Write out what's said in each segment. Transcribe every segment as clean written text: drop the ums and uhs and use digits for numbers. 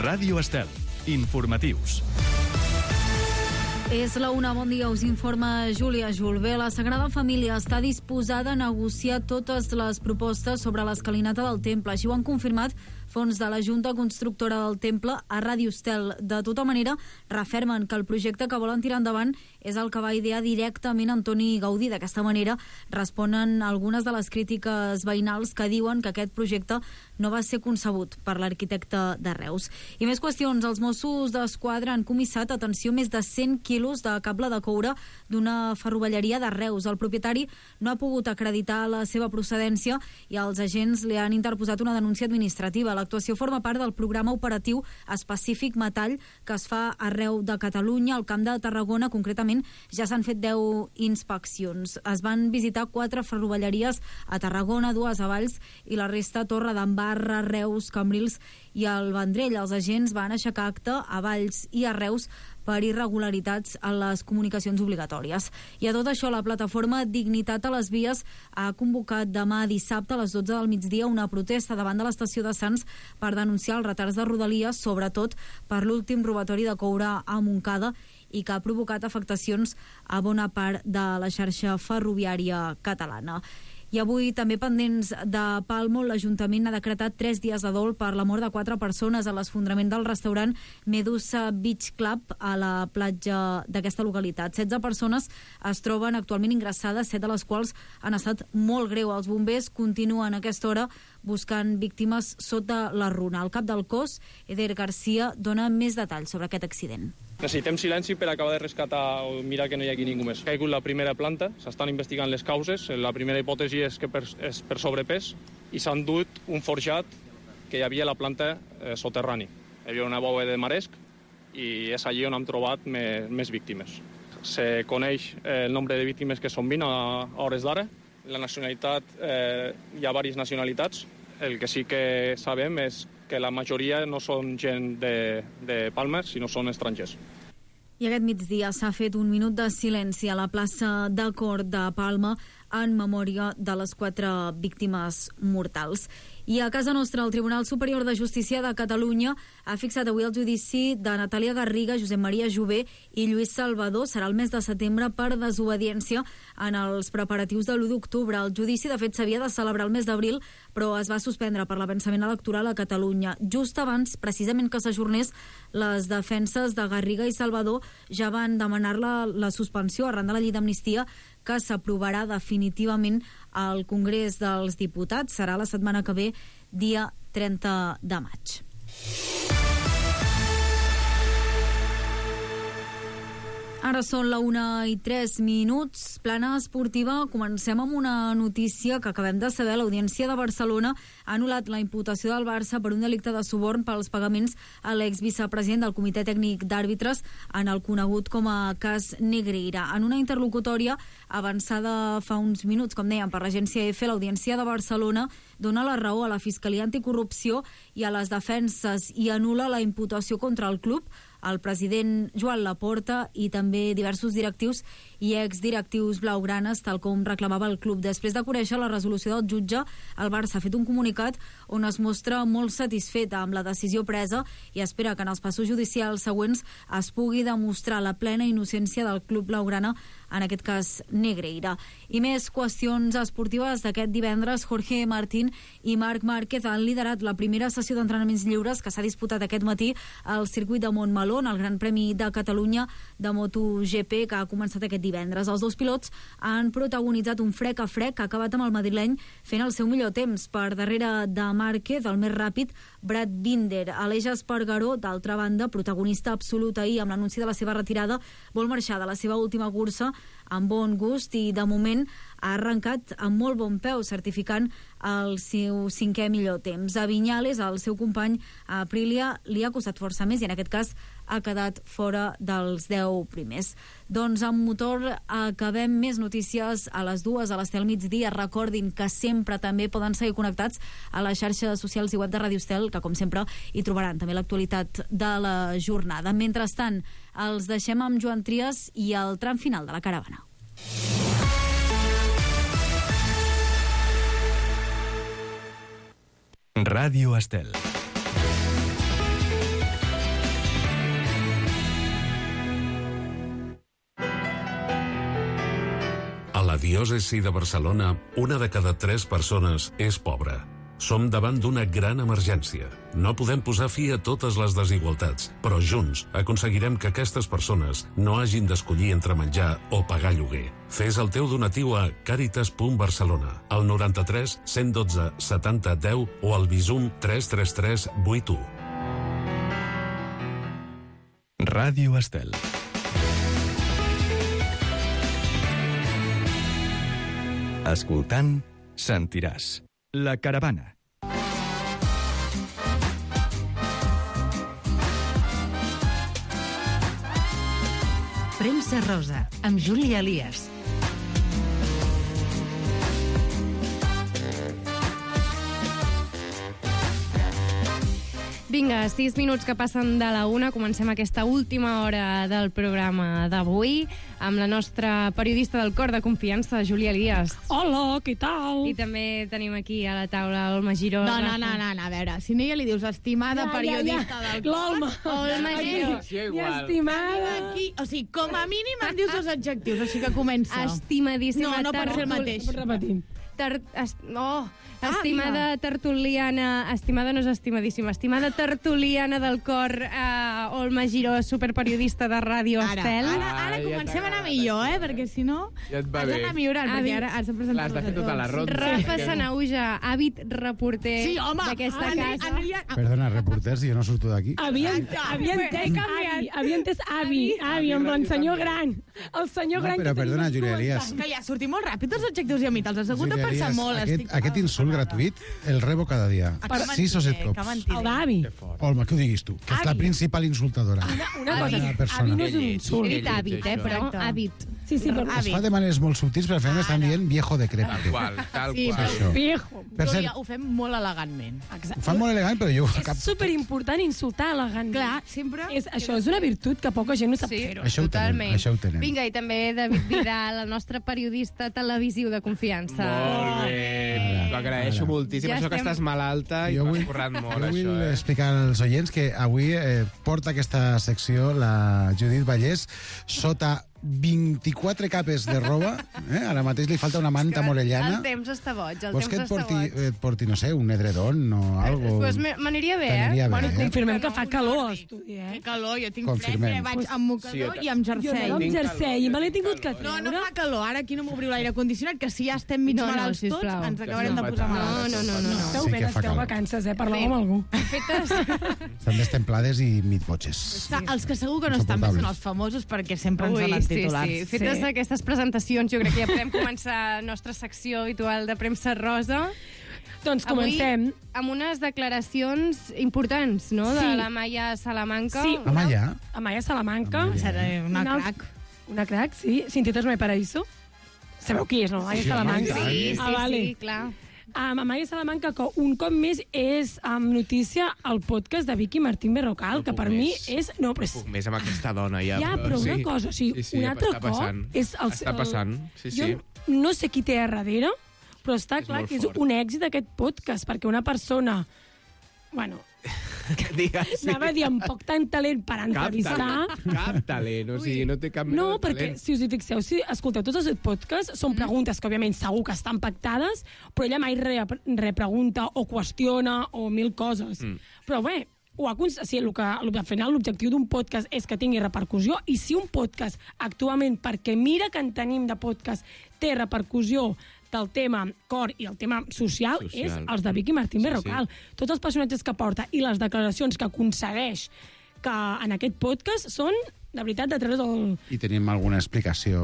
Ràdio Estel. Informatius. És la una, bon dia, us informa Júlia Julbé. La Sagrada Família està disposada a negociar totes les propostes sobre l'escalinata del temple. Així ho han confirmat fons de la Junta Constructora del Temple a Ràdio Estel. De tota manera, refermen que el projecte que volen tirar endavant és el que va idear directament Antoni Gaudí. D'aquesta manera, responen algunes de les crítiques veïnals que diuen que aquest projecte no va ser concebut per l'arquitecte de Reus. I més qüestions. Els Mossos d'Esquadra han comissat, atenció, més de 100 quilos de cable de coure d'una ferrovelleria de Reus. El propietari no ha pogut acreditar la seva procedència i els agents li han interposat una denúncia administrativa. L'actuació forma part del programa operatiu específic Metall que es fa arreu de Catalunya. Al Camp de Tarragona, concretament, ja s'han fet 10 inspeccions. Es van visitar 4 ferrovelleries a Tarragona, 2 a Valls i la resta a Torre d'Embarra, Reus, Cambrils i el Vendrell. Els agents van aixecar acta a Valls i a Reus per irregularitats en les comunicacions obligatòries. I a tot això, la plataforma Dignitat a les Vies ha convocat demà dissabte a les 12 del migdia una protesta davant de l'estació de Sants per denunciar els retards de Rodalies, sobretot per l'últim robatori de coure a Montcada i que ha provocat afectacions a bona part de la xarxa ferroviària catalana. I avui, també pendents de Palmo, l'Ajuntament ha decretat 3 dies de dol per la mort de 4 persones a l'esfondrament del restaurant Medusa Beach Club a la platja d'aquesta localitat. 16 persones es troben actualment ingressades, 7 de les quals han estat molt greu. Els bombers continuen a aquesta hora buscant víctimes sota la runa. El cap del cos, Eder Garcia, dona més detalls sobre aquest accident. Necessitem silenci per acabar de rescatar o mirar que no hi hagi ningú més. Ha caigut la primera planta, s'estan investigant les causes. La primera hipòtesi és que és per sobrepès i s'han dut un forjat que hi havia a la planta soterrani. Hi havia una bóveda de maresc i és allí on hem trobat més víctimes. Se coneix el nombre de víctimes que són 20 a hores d'ara. La nacionalitat, hi ha diverses nacionalitats. El que sí que sabem és que la majoria no són gent de Palma, sinó són estrangers. I aquest migdia s'ha fet un minut de silenci a la plaça de Cort de Palma en memòria de les 4 víctimes mortals. I a casa nostra, el Tribunal Superior de Justícia de Catalunya ha fixat avui el judici de Natàlia Garriga, Josep Maria Jové i Lluís Salvador. Serà el mes de setembre per desobediència en els preparatius de l'1 d'octubre. El judici, de fet, s'havia de celebrar el mes d'abril, però es va suspendre per l'avançament electoral a Catalunya. Just abans, precisament que s'ajornés, les defenses de Garriga i Salvador ja van demanar la suspensió arran de la llei d'amnistia que s'aprovarà definitivament al Congrés dels Diputats. Serà la setmana que ve, dia 30 de maig. Ara són la 1:03. Plana esportiva. Comencem amb una notícia que acabem de saber. L'Audiència de Barcelona ha anul·lat la imputació del Barça per un delicte de suborn pels pagaments a l'exvicepresident del Comitè Tècnic d'Àrbitres en el conegut com a cas Negreira. En una interlocutòria avançada fa uns minuts, com dèiem, per l'agència EFE, l'Audiència de Barcelona dona la raó a la Fiscalia Anticorrupció i a les defenses i anul·la la imputació contra el club, el president Joan Laporta i també diversos directius i exdirectius blaugranes, tal com reclamava el club. Després de conèixer la resolució del jutge, el Barça ha fet un comunicat on es mostra molt satisfet amb la decisió presa i espera que en els passos judicials següents es pugui demostrar la plena innocència del club blaugrana, en aquest cas Negreira. I més qüestions esportives d'aquest divendres. Jorge Martín i Marc Márquez han liderat la primera sessió d'entrenaments lliures que s'ha disputat aquest matí al circuit de Montmeló, el Gran Premi de Catalunya de MotoGP, que ha començat aquest divendres. Els dos pilots han protagonitzat un frec a frec que ha acabat amb el madrileny fent el seu millor temps. Per darrere de Márquez, el més ràpid, Brad Binder. Aleix Espargaró, d'altra banda, protagonista absolut ahir amb l'anunci de la seva retirada, vol marxar de la seva última cursa amb bon gust i de moment ha arrencat amb molt bon peu, certificant el seu 5è millor temps. A Viñales, el seu company a Aprilia, li ha costat força més i en aquest cas ha quedat fora dels 10 primers. Doncs amb motor acabem. Més notícies a les 2 a l'Estel migdia. Recordin que sempre també poden seguir connectats a les xarxes socials i web de Ràdio Estel, que com sempre hi trobaran també l'actualitat de la jornada. Mentrestant, els deixem amb Joan Trias i el tram final de la caravana. Ràdio Estel. diòcesi de Barcelona, 1 de cada 3 persones és pobra. Som davant d'una gran emergència. No podem posar fi a totes les desigualtats, però junts aconseguirem que aquestes persones no hagin d'escollir entre menjar o pagar lloguer. Fes el teu donatiu a caritas.barcelona, al 93 112 70 10 o al Bizum 333 81. Ràdio Estel. Escoltant, sentiràs. La Caravana. Premsa Rosa, amb Júlia Elias. Vinga, 6 minuts que passen de la 1. Comencem aquesta última hora del programa d'avui amb la nostra periodista del cor de confiança, Júlia Elias. Hola, què tal? I també tenim aquí a la taula Olma Giró. No, a veure, si no ja li dius estimada periodista del cor... L'Olma. Olma Giró. I estimada. Aquí, o sigui, com a mínim em dius 2 adjectius, així que comença. Estimadíssima. No pot ser el mateix. Repetim. Estimada tertuliana, estimada no és estimadíssima, estimada tertuliana del cor, Olma Giró, superperiodista de Ràdio Estel. Ara comencem a anar millor, perquè si no ja et va has bé. d'anar millorant, perquè ara has de presentar-nos L'has de fer tota la ronda. Rafa Sanauja, hàbit reporter d'aquesta casa. Perdona, reporters, jo no surto d'aquí. Havia entès avi, en plan senyor gran. El senyor gran... Però perdona, Júlia Elias. Que ja sortim molt ràpid els adjectius i a mi te'ls has hagut de pensar molt. Aquest insult gratuït el rebo cada dia. 6 o 7 cops. El d'avi. Olma, que ho diguis tu, que és la principal insultadora. Una cosa, avi no és un insult. He dit hàbit, però hàbit. Sí, però... Es fa de maneres molt subtils, però al final m'estan dient viejo decrépito. Tal Sí, qual. Això. Viejo. Per cert, Júlia, ho fem molt elegantment. ho fan molt elegant, però jo... És superimportant insultar elegant. Clar, sempre... Això és una virtut que poca gent no sap fer-ho. Això ho tenen, això ho tenen. Vinga, i també David Vidal, el nostre periodista televisiu de confiança. Molt bé. T'ho agraeixo moltíssim. Ja Això que estem- estàs malalta i Jo t'ho vull- has currat molt, Jo vull això. explicar als oients que avui porta aquesta secció la Judit Vallès sota 24 capes de roba. Ara mateix li falta una manta morellana. El temps està boig, el Vols que temps et està boig. et porti, no sé, un edredon o algo? Pues m'aniria bé, T'aniria bé, Bueno, eh? confirmem que fa calor a l'estudi, Que calor, jo tinc Confirmem. fred, vaig amb mocador i amb Jo jersei. anava amb jersei i me l'he tingut que No, treure. no fa calor. Ara aquí no m'obriu l'aire condicionat, que si ja estem mig No, malalts tots, sisplau. ens acabarem de posar malalts. No. Esteu Sí bé, que fa esteu calor. vacances, parleu amb algú. Fetes... Estan destemplades i mitbotxes. Els que segur que no estan bé són els famosos perquè sempre ens donen titulars. Sí. Fetes aquestes presentacions, jo crec que ja podem començar la nostra secció habitual de premsa rosa. Doncs comencem. Avui, amb unes declaracions importants, no?, de Sí. la Maia Salamanca. Sí. Amaya? Amaya Salamanca. Una crac. Una crac, sí. Sin tetas no hay paraíso. Sabeu qui és, no? Amaya Sí, Salamanca. home, i Sí, vale. sí, clar. Amaya Salamanca, que un cop més és notícia al podcast de Vicky Martín Berrocal, que per mi és... No, però és... Puc més amb aquesta dona, ja. Ja, però una cosa, o sigui, un altre està cop passant. és el... Està passant, sí. Jo no sé qui té a darrere, però està clar molt que és fort. un èxit aquest podcast, perquè una persona... Bueno, Digues. anava a dir amb poc tant talent per entrevistar... Cap talent, o sigui, no té cap mena No, de perquè talent. si us hi fixeu, si escolteu tots els podcasts, són preguntes que, òbviament, segur que estan pactades, però ella mai repregunta o qüestiona o mil coses. Però bé, al final l'objectiu d'un podcast és que tingui repercussió, i si un podcast, actualment, perquè mira que en tenim de podcast, té repercussió del tema cor i el tema social. És els de Vicky Martín Berrocal. Tots els personatges que porta i les declaracions que aconsegueix que en aquest podcast són, de veritat, de treure's el... I tenim alguna explicació?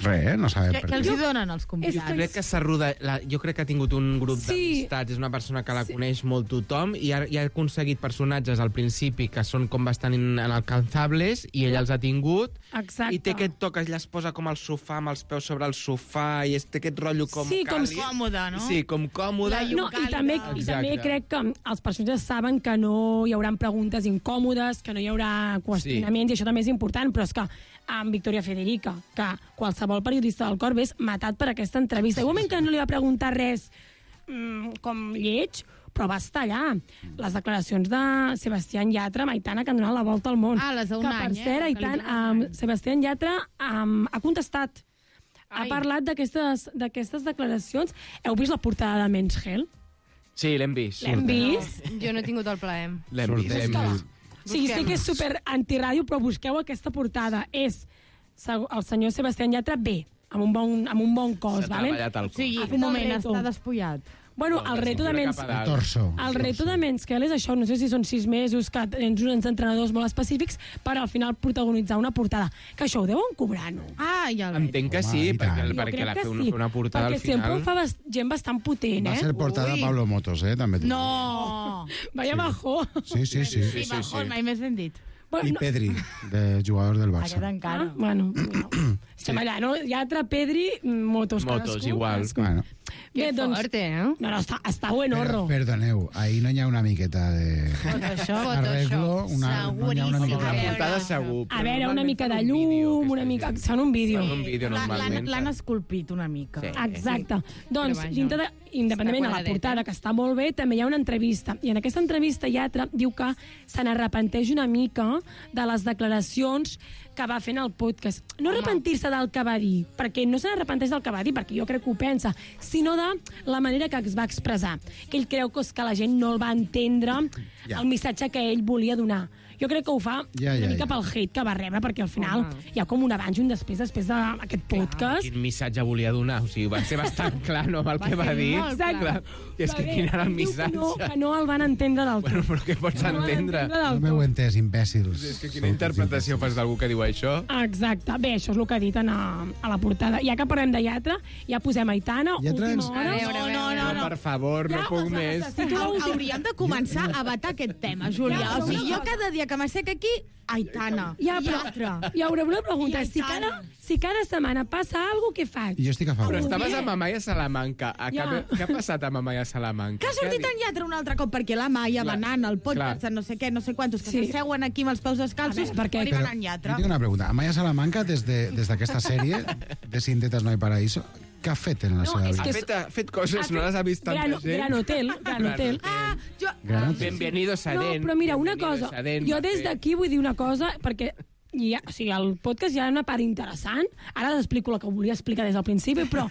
Res, no sabem per Què els què. hi donen els convidats? Jo crec que s'ha rodat... Jo crec que ha tingut un grup Sí. d'amistats, és una persona que la coneix molt tothom i ha aconseguit personatges al principi que són com bastant inalcanzables i ella els ha tingut. Exacte. I té aquest toc, ella es posa com al sofà, amb els peus sobre el sofà, i té aquest rotllo com Sí, com càlid. còmode, no? Sí, com còmode. No, i també Exacte. crec que els personatges saben que no hi haurà preguntes incòmodes, que no hi haurà qüestionaments, i això també és important, però és que amb Victoria Federica, que qualsevol periodista del cor ves matat per aquesta entrevista. Igualment que no li va preguntar res com lleig, però va estar allà. Les declaracions de Sebastián Yatra amb Aitana, que han donat la volta al món. Ah, les d'un que, any, per cert, que li Aitana, donen un any. Sebastián Yatra ha contestat ha parlat d'aquestes declaracions. Heu vist la portada de Men's Health? Sí, l'hem vist. L'hem vist? Jo no he tingut el plaer. L'hem vist. Sí, sé que és super antiràdio, però busqueu aquesta portada. És el senyor Sebastián Yatra bé, amb un bon cos. S'ha treballat el cos. Sí, un moment, està despullat. Bueno, el reto de Men's Health és això, no sé si són 6 mesos, que tens uns entrenadors molt específics per al final protagonitzar una portada. Que això ho deuen cobrar, no? Ah, ja el veig. Entenc que sí, perquè la fer una portada al final... Perquè sempre ho fa gent bastant potent, Va ser portada Pablo Motos, també. No! Vaya bajó. Sí. Sí, bajó, mai més ben dit. I Pedri, de jugador del Barça. Aquest encara. Bueno, estem allà, no? Yatra, Pedri, Motos, Motos, igual. Bueno. Bé, doncs... No, està buenorro. Perdoneu, ahí no hi ha una miqueta de... arreglo, no hi ha una miqueta de... portada segur. A veure, una mica de llum, una mica... Són un vídeo. normalment. L'han esculpit una mica. Exacte. Doncs, independentment de la portada, que està molt bé, també hi ha una entrevista. I en aquesta entrevista Yatra diu que se n'arrepenteix una mica de les declaracions que va fer en el podcast. No arrepentir-se del que va dir, perquè no se n'arrepenteix del que va dir, perquè jo crec que ho pensa, sinó de la manera que es va expressar. Que ell creu que la gent no el va entendre el missatge que ell volia donar. Jo crec que ho fa una mica pel hate que va rebre, perquè al final hi ha com un abans i un després d'aquest podcast. Quin missatge volia donar? O sigui, va ser bastant clar, no, el que va dir. Exacte. I és que quin era el missatge? Que no el van entendre del tot. Bueno, però què pots entendre? No m'heu entès, imbècils. És que quina interpretació fas d'algú que diu això? Exacte. Bé, això és el que ha dit a la portada. Ja que parlem de Yatra, ja posem Aitana, última hora. No, per favor, no puc més. Hauríem de començar a vetar aquest tema, Júlia. O sigui, jo cada dia que m'assec aquí, Aitana, Yatra. Hi haurà una pregunta. Si cada setmana passa alguna cosa, què faig? Jo estic a favor. Però estaves amb Amaya Salamanca. Què ha passat amb Amaya Salamanca? Que ha sortit en Yatra un altre cop, perquè la Maia va anant al podcast, no sé què, no sé quantos, que s'asseuen aquí amb els peus descalços, perquè hi van en Yatra. Jo tinc una pregunta. Amaya Salamanca, des d'aquesta sèrie de Sin tetas no hay paraíso, què ha fet en la seva vida? Ha fet coses, no les ha vist tanta gent. Gran Hotel. Bienvenidos a Den. No, però mira, una cosa, jo des d'aquí vull dir una cosa, perquè al podcast hi ha una part interessant. Ara t'explico el que volia explicar des del principi, però...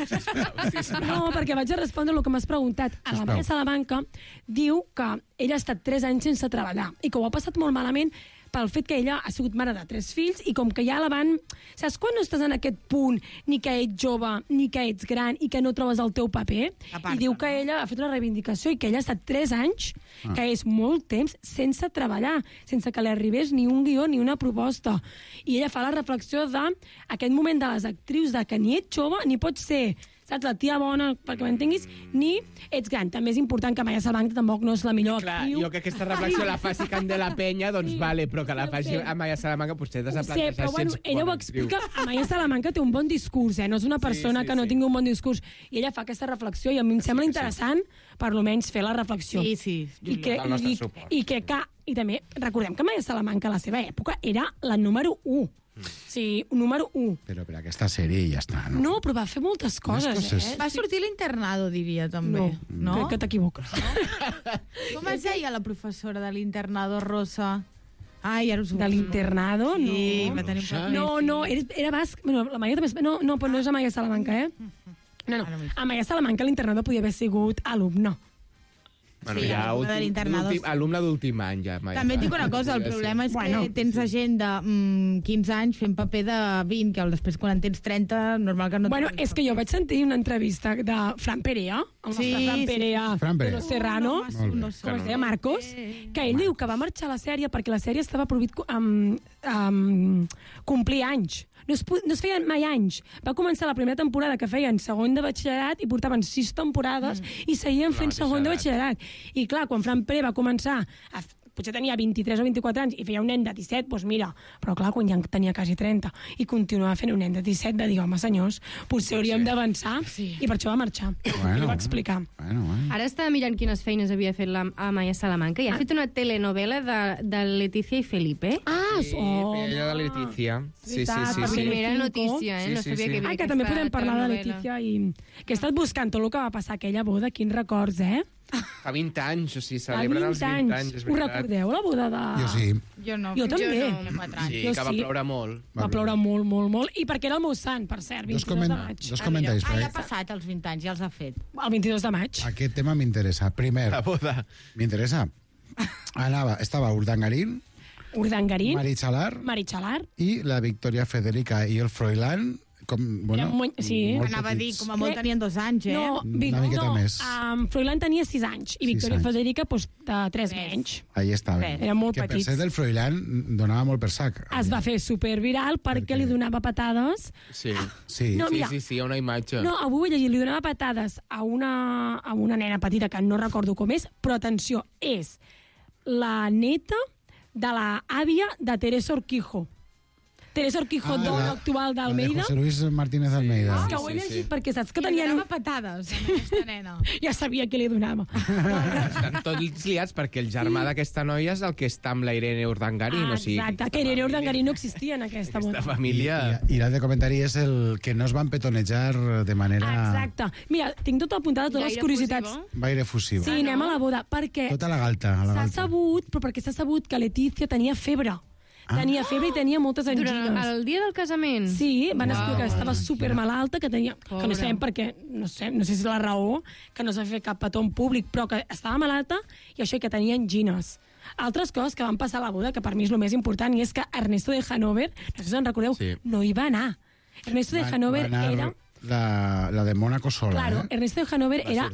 No, perquè vaig a respondre el que m'has preguntat. A la Maia Salamanca diu que ella ha estat 3 anys sense treballar i que ho ha passat molt malament pel fet que ella ha sigut mare de 3 fills i com que ja la van... Saps quan no estàs en aquest punt, ni que ets jove, ni que ets gran, i que no trobes el teu paper? I diu que ella ha fet una reivindicació i que ella ha estat 3 anys, que és molt temps, sense treballar, sense que li arribés ni un guió ni una proposta. I ella fa la reflexió d'aquest moment de les actrius, de que ni ets jove ni pots ser... saps, la tia bona, perquè m'entenguis, ni ets gran. També és important que Amaya Salamanca tampoc no és la millor actriu. Jo que aquesta reflexió la faci Candela Peña, doncs vale, però que la faci Amaya Salamanca potser has de plantejar però bueno, ella ho explica. Amaya Salamanca té un bon discurs, no és una persona que no tingui un bon discurs. I ella fa aquesta reflexió i a mi em sembla interessant, per almenys, fer la reflexió. Sí, I també recordem que Amaya Salamanca a la seva època era la número 1. Sí, número 1. Però per aquesta sèrie ja està, no? No, però va fer moltes coses, Va sortir l'Internado, diria, també. No? Crec que t'equivoques. Com es deia la professora de l'Internado, Rosa? Ai, ara us ho... De l'Internado? No. Sí, va tenir un paper. No, era basc. Bueno, la Maia també... No, però no és Amaya Salamanca, No. Amaya Salamanca a l'Internado podia haver sigut alumne. Bueno, ja alumne d'últim any, ja. També et dic una cosa, el problema és que tens gent de 15 anys fent paper de 20, que després quan en tens 30, normal que no... Bueno, és que jo vaig sentir una entrevista de Fran Perea, el nostre Fran Perea, Serrano, com es deia Marcos, que ell diu que va marxar a la sèrie perquè la sèrie estava prohibit complir anys. No es feien mai anys. Va començar la primera temporada que feien segon de batxillerat i portaven 6 temporades i seguien fent segon de batxillerat. I clar, quan Fran Pere va començar potser tenia 23 o 24 anys i feia un nen de 17, doncs mira, però clar, quan ja tenia quasi 30 i continuava fent un nen de 17, va dir, home, senyors, potser hauríem d'avançar, i per això va marxar. I ho va explicar. Ara estava mirant quines feines havia fet la Amaya Salamanca i ha fet una telenovela de Leticia i Felipe. Feia de Leticia. Sí. Primera notícia, no sabia que que també podem parlar de Leticia i que he estat buscant tot el que va passar aquella boda, quins records, Fa 20 anys, o sigui, celebren els 20 anys, és Us veritat. recordeu la boda de... Jo sí. Jo no. Jo també. Sí, Jo que va sí. ploure molt. Va ploure molt, molt, molt. I perquè era el meu sant, per cert, 22 de maig. Dos comentaris. Ja ha passat els 20 anys, ja els ha fet. El 22 de maig. Aquest tema m'interessa. Primer, La boda. m'interessa. Estava Urdangarín, Urdangarín, Maritxalar Maritxalar. i la Victoria Federica i el Froilán, com, bueno, Sí. molt Anava a dir, petits. com a molt tenien 2 anys, eh? No, Una miqueta més. Froilán tenia 6 anys i 6 Victoria anys. Federica doncs, de 3 menys. Ahí estava. Era molt que per petits. ser del Froilán donava molt per sac. Es va fer superviral perquè li donava patades. Sí. Sí. No, mira. Sí, hi ha una imatge. No, avui ho he llegit, li donava patades a una nena petita que no recordo com és, però atenció, és la neta de la àvia de Teresa Orquijo. Teresa Orquijo, dona actual d'Almeida. José Luis Martínez Almeida. És que ho he llegit perquè saps que tenien... donava patades a aquesta nena. Ja sabia què li donava. Estan tots liats perquè el germà d'aquesta noia és el que està amb la Irene Urdangarín. O sigui, Exacte, que Irene Urdangarín no existia en aquesta boda. aquesta família... I l'altre comentari és el que no es van petonejar de manera Exacte. Mira, tinc tot apuntat, totes les curiositats. gaire efusiva. Sí, anem a la boda, perquè Tota la galta. A la s'ha galta. sabut, però perquè s'ha sabut que Letícia tenia febre. Tenia febre i tenia moltes angines. Durant el dia del casament? Sí, van explicar que estava supermalalta, que tenia... Que no sabem per què, no sé si és la raó, que no s'ha fet cap petó en públic, però que estava malalta i això, que tenia angines. Altres coses que van passar a la boda, que per mi és el més important, i és que Ernesto de Hanover, no sé si en recordeu, no hi va anar. Ernesto de Hanover Va anar era... la de Mónaco sola, Claro, Ernesto de Hanover era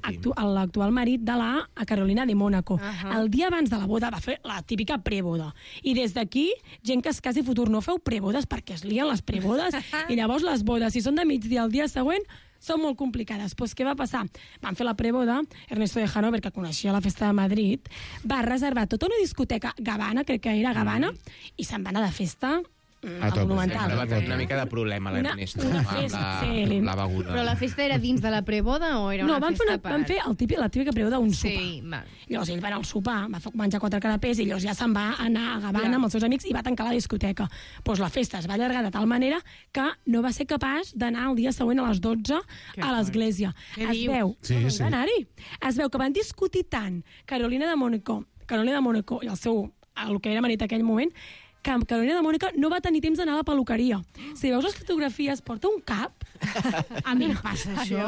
l'actual marit de la Carolina de Mónaco. El dia abans de la boda va fer la típica preboda. I des d'aquí, gent que es casi futur, no feu prebodes perquè es lien les prebodes i llavors les bodes, si són de migdia el dia següent, són molt complicades. Pues què va passar? Van fer la preboda, Ernesto de Hanover, que coneixia la festa de Madrid, va reservar tota una discoteca Gavana, crec que era Gavana, i se'n va anar de festa al Monumental. Sempre va tenir una mica de problema l'Ernesto Una amb festa, sí. la beguda. Però la festa era dins de la preboda o era una festa a part? Van fer la típica preboda d'un sopar. Sí, val. Llavors ell va anar al sopar, va menjar 4 canapés i llavors ja se'n va anar a Gavana amb els seus amics i va tancar la discoteca. Pues la festa es va allargar de tal manera que no va ser capaç d'anar el dia següent a les 12 a l'església. Es veu, va anar-hi. Es veu que van discutir tant Carolina de Mónaco i el seu, el que era marit aquell moment, que Carolina de Mónaco no va tenir temps d'anar a la peluqueria. Si veus les fotografies, porta un cap. A mi em passa això.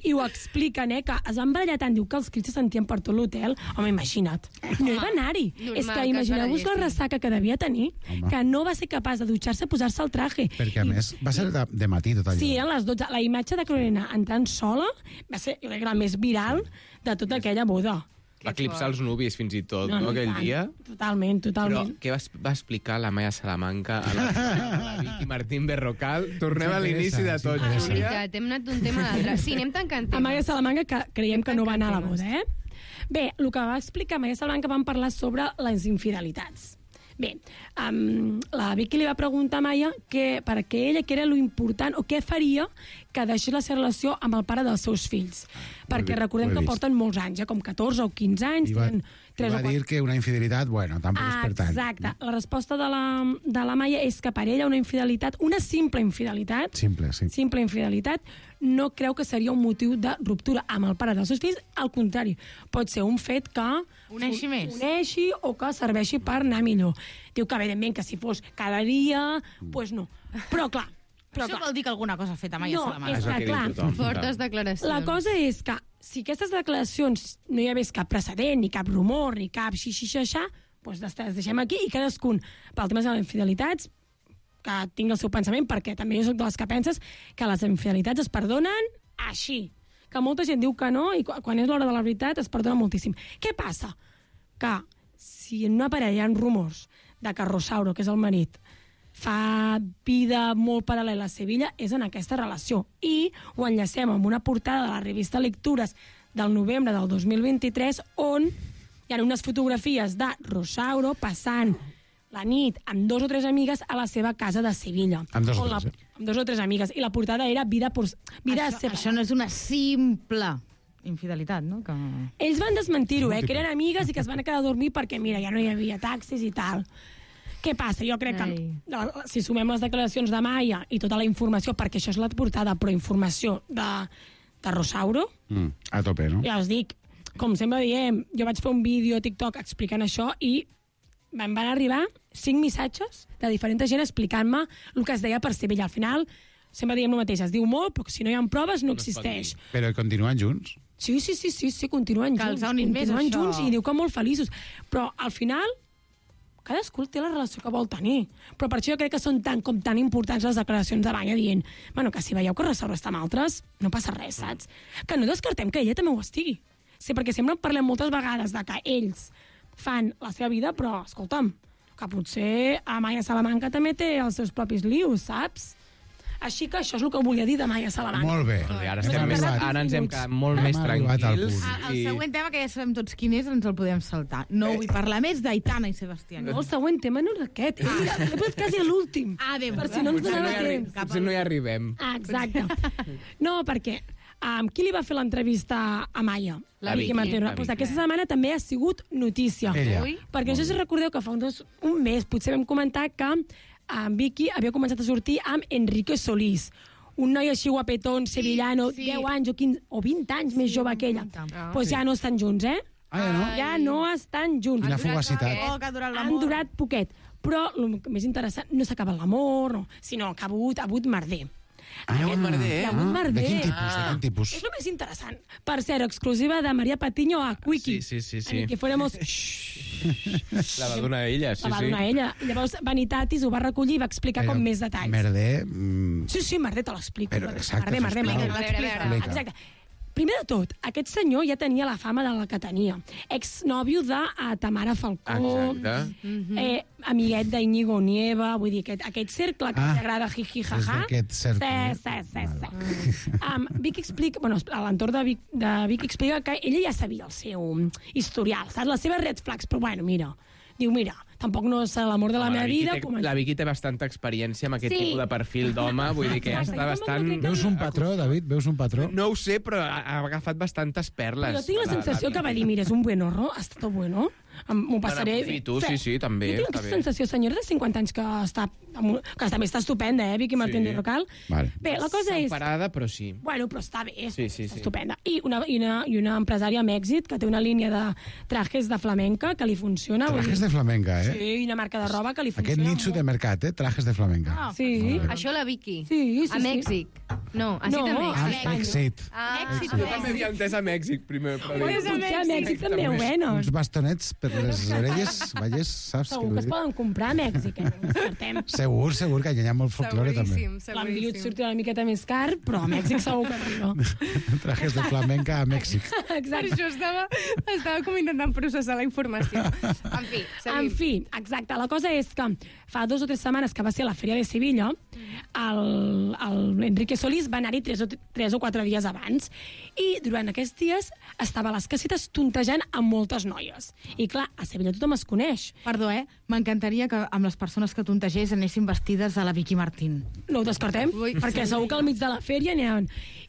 I ho expliquen, que es van barallar tant, diu que els crits se sentien per tot l'hotel. Home, imagina't. No hi va anar-hi. És que imagineu-vos la ressaca que devia tenir, que no va ser capaç de dutxar-se i posar-se el traje. Perquè, a més, va ser de matí tot allò. Sí, eren les 12. La imatge de Carolina entrant sola va ser, jo crec, la més viral de tota aquella boda. Va eclipsar els nuvis, fins i tot, no, aquell dia. Totalment. Però què va explicar la Maia Salamanca a la Vicky Martín Berrocal? Tornem a l'inici de tot, És Júlia. veritat, hem anat d'un tema a l'altre. Sí, anem tancant temes. A Maia Salamanca, que creiem que no va anar a la boda, Bé, el que va explicar Maia Salamanca, van parlar sobre les infidelitats. Bé, la Vicky li va preguntar a Maia per què ella, què era lo important o què faria que deixés la seva relació amb el pare dels seus fills. Perquè recordem que porten molts anys, com 14 o 15 anys. I va dir que una infidelitat, bueno, tampoc és per tant. Exacte. La resposta de la Maia és que per ella una infidelitat, una simple infidelitat, simple infidelitat, no creu que seria un motiu de ruptura amb el pare dels seus fills. Al contrari, pot ser un fet que uneixi més. Uneixi o que serveixi per anar millor. Diu que, evidentment, que si fos cada dia, doncs no. Però, clar, això vol dir que alguna cosa ha fet a Maia Salamanca. No, és que, clar, fortes declaracions. la cosa és que si aquestes declaracions no hi hagués cap precedent, ni cap rumor, ni cap xixixaixà, doncs les deixem aquí i cadascun, pel tema de les infidelitats, que tingui el seu pensament, perquè també jo soc de les que penses que les infidelitats es perdonen així. Que molta gent diu que no i quan és l'hora de la veritat es perdona moltíssim. Què passa? Que si en una parella hi ha rumors de que Rosauro, que és el marit, fa vida molt paral·lela a Sevilla, és en aquesta relació. I ho enllacem amb una portada de la revista Lectures del novembre del 2023, on hi ha unes fotografies de Rosauro passant la nit amb 2 o 3 amigues a la seva casa de Sevilla. Amb 2 o 3, Amb 2 o 3 amigues. I la portada era Això no és una simple infidelitat, no? Que... Ells van desmentir-ho, que eren amigues i que es van quedar a dormir perquè, mira, ja no hi havia taxis i tal. Què passa? Jo crec que si sumem les declaracions de Maia i tota la informació, perquè això és la portada, però informació de Rosauro, a tope, no? ja us dic, com sempre diem, jo vaig fer un vídeo a TikTok explicant això i van arribar 5 missatges de diferent gent explicant-me el que es deia per ser vella. Al final, sempre diem el mateix, es diu molt, però si no hi ha proves no existeix. Però continuen junts? Sí, continuen junts. Que els ha unit més, continuen això. junts i diu que molt feliços. Però al final, cadascú té la relació que vol tenir. Però per això jo crec que són tan importants les declaracions de Maya dient que si veieu que restaura amb altres, no passa res, saps? Que no descartem que ella també ho estigui. Sí, perquè sempre en parlem moltes vegades de que ells fan la seva vida, però, escolta'm, que potser a Maya Salamanca també té els seus propis lius, saps? Així que això és el que volia dir de Maya Salamanca. Molt bé. Ara ens hem quedat molt més tranquils. El següent tema, que ja sabem tots quin és, ens el podem saltar. No vull parlar més d'Aitana i Sebastián. No, el següent tema no és aquest. He posat quasi a l'últim. Per si no ens donava temps. Potser no hi arribem. Exacte. No, perquè qui li va fer l'entrevista a Maya? La Vicky Martínez. Pues aquesta setmana també ha sigut notícia. Ella. Perquè no sé si recordeu que fa un mes potser vam comentar que Vicky havia començat a sortir amb Enrique Solís, un noi així guapetón, sevillano, 10 anys o 15 o 20 anys més jove que ella. Doncs ja no estan junts, eh? Ja no estan junts. Quina fugacitat. Han durat poquet. Però el més interessant, no s'ha acabat l'amor, sinó que ha hagut merder. Hi ha hagut merder, Hi ha hagut merder. De quin tipus? És el més interessant. Per cert, exclusiva de María Patiño a Quickie. Sí. En que fuéramos... La va donar ella, sí. La va donar ella. I llavors Vanitatis ho va recollir i va explicar com més detalls. Merder... Sí, merder te l'explico. Però, exacte, Merder. Exacte. Primer de tot, aquest senyor ja tenia la fama de la que tenia. Exnòvio de Tamara Falcó, amiguet d'Iñigo Nieva, vull dir, aquest cercle que ens agrada jiji jaja. Aquest cercle. Sí. Vicky explica, a l'entorn de Vicky explica que ella ja sabia el seu historial, saps? Les seves red flags, però mira, tampoc no és l'amor de la meva vida. La Vicky té bastanta experiència amb aquest tipus de perfil d'home, vull dir que ja està bastant... Veus un patró, David? Veus un patró? No ho sé, però ha agafat bastantes perles. Jo tinc la sensació que va dir, mira, és un buen horror, ha estat bueno, m'ho passaré... I tu, sí, també. Jo tinc aquesta sensació, senyora de 50 anys, que també està estupenda, Vicky Martínez Rocal. Bé, la cosa és... Separada, però sí. Bueno, però està bé, sí. Estupenda. I una empresària amb èxit, que té una línia de trajes de flamenca, que li funciona. Trajes de flamenca, eh? Sí, i una marca de roba que li funciona. Aquest nicho de mercat, trajes de flamenca. Sí. Això la Vicky. Sí. A Mèxic. No, ha estat a Mèxic. Èxit. Jo també havia entès a Mèxic, primer. Potser a Mèxic també ho venen. Uns bastonets per les orelles, Vallès, saps? Segur que es poden comprar a Mèxic, Segur, que hi ha molt folklore també. L'enviut surt una miqueta més car, però a Mèxic segur que arriba. Trajes de flamenca a Mèxic. Per això estava com intentant processar la informació. En fi, exacte. La cosa és que fa 2 o 3 setmanes que va ser la Fèria de Sevilla, l'Enrique Solís va anar-hi 3 o 4 dies abans i durant aquests dies estava a les casetes tontejant amb moltes noies. I clar, a Sevilla tothom es coneix. Perdó, m'encantaria que amb les persones que tontegés anessin vestides a la Vicky Martín. No ho descartem, perquè segur que al mig de la fèria n'hi ha.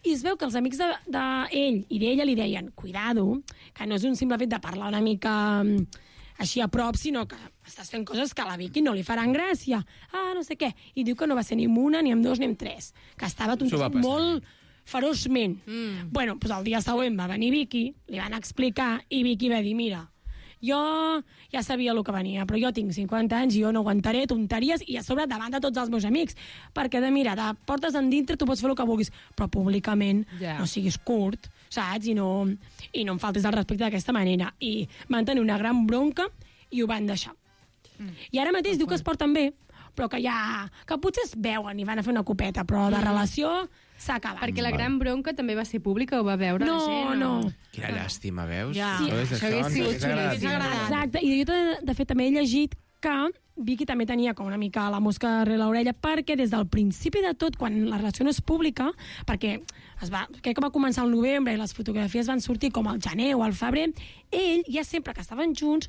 I es veu que els amics d'ell i d'ella li deien, cuidado, que no és un simple fet de parlar una mica així a prop, sinó que estàs fent coses que a la Vicky no li faran gràcia. No sé què. I diu que no va ser ni amb una, ni amb 2, ni amb 3. Que estava tontejant molt feroçment. Bueno, doncs el dia següent va venir Vicky, li van explicar, i Vicky va dir, mira, jo ja sabia el que venia, però jo tinc 50 anys i jo no aguantaré tonteries i a sobre davant de tots els meus amics, perquè de portes endintre tu pots fer el que vulguis, però públicament no siguis curt, saps? I no em faltis el respecte d'aquesta manera. I van tenir una gran bronca i ho van deixar. I ara mateix diu que es porten bé, però que potser es veuen i van a fer una copeta, però la relació s'ha acabat. Perquè la gran bronca també va ser pública, ho va veure la gent? No. Quina llàstima, veus? Sí, això hagués sigut xulíssim. Exacte, i jo de fet també he llegit que Vicky també tenia com una mica la mosca darrere l'orella, perquè des del principi de tot, quan la relació no és pública, perquè crec que va començar al novembre i les fotografies van sortir com al gener o al febrer, ell ja sempre que estaven junts,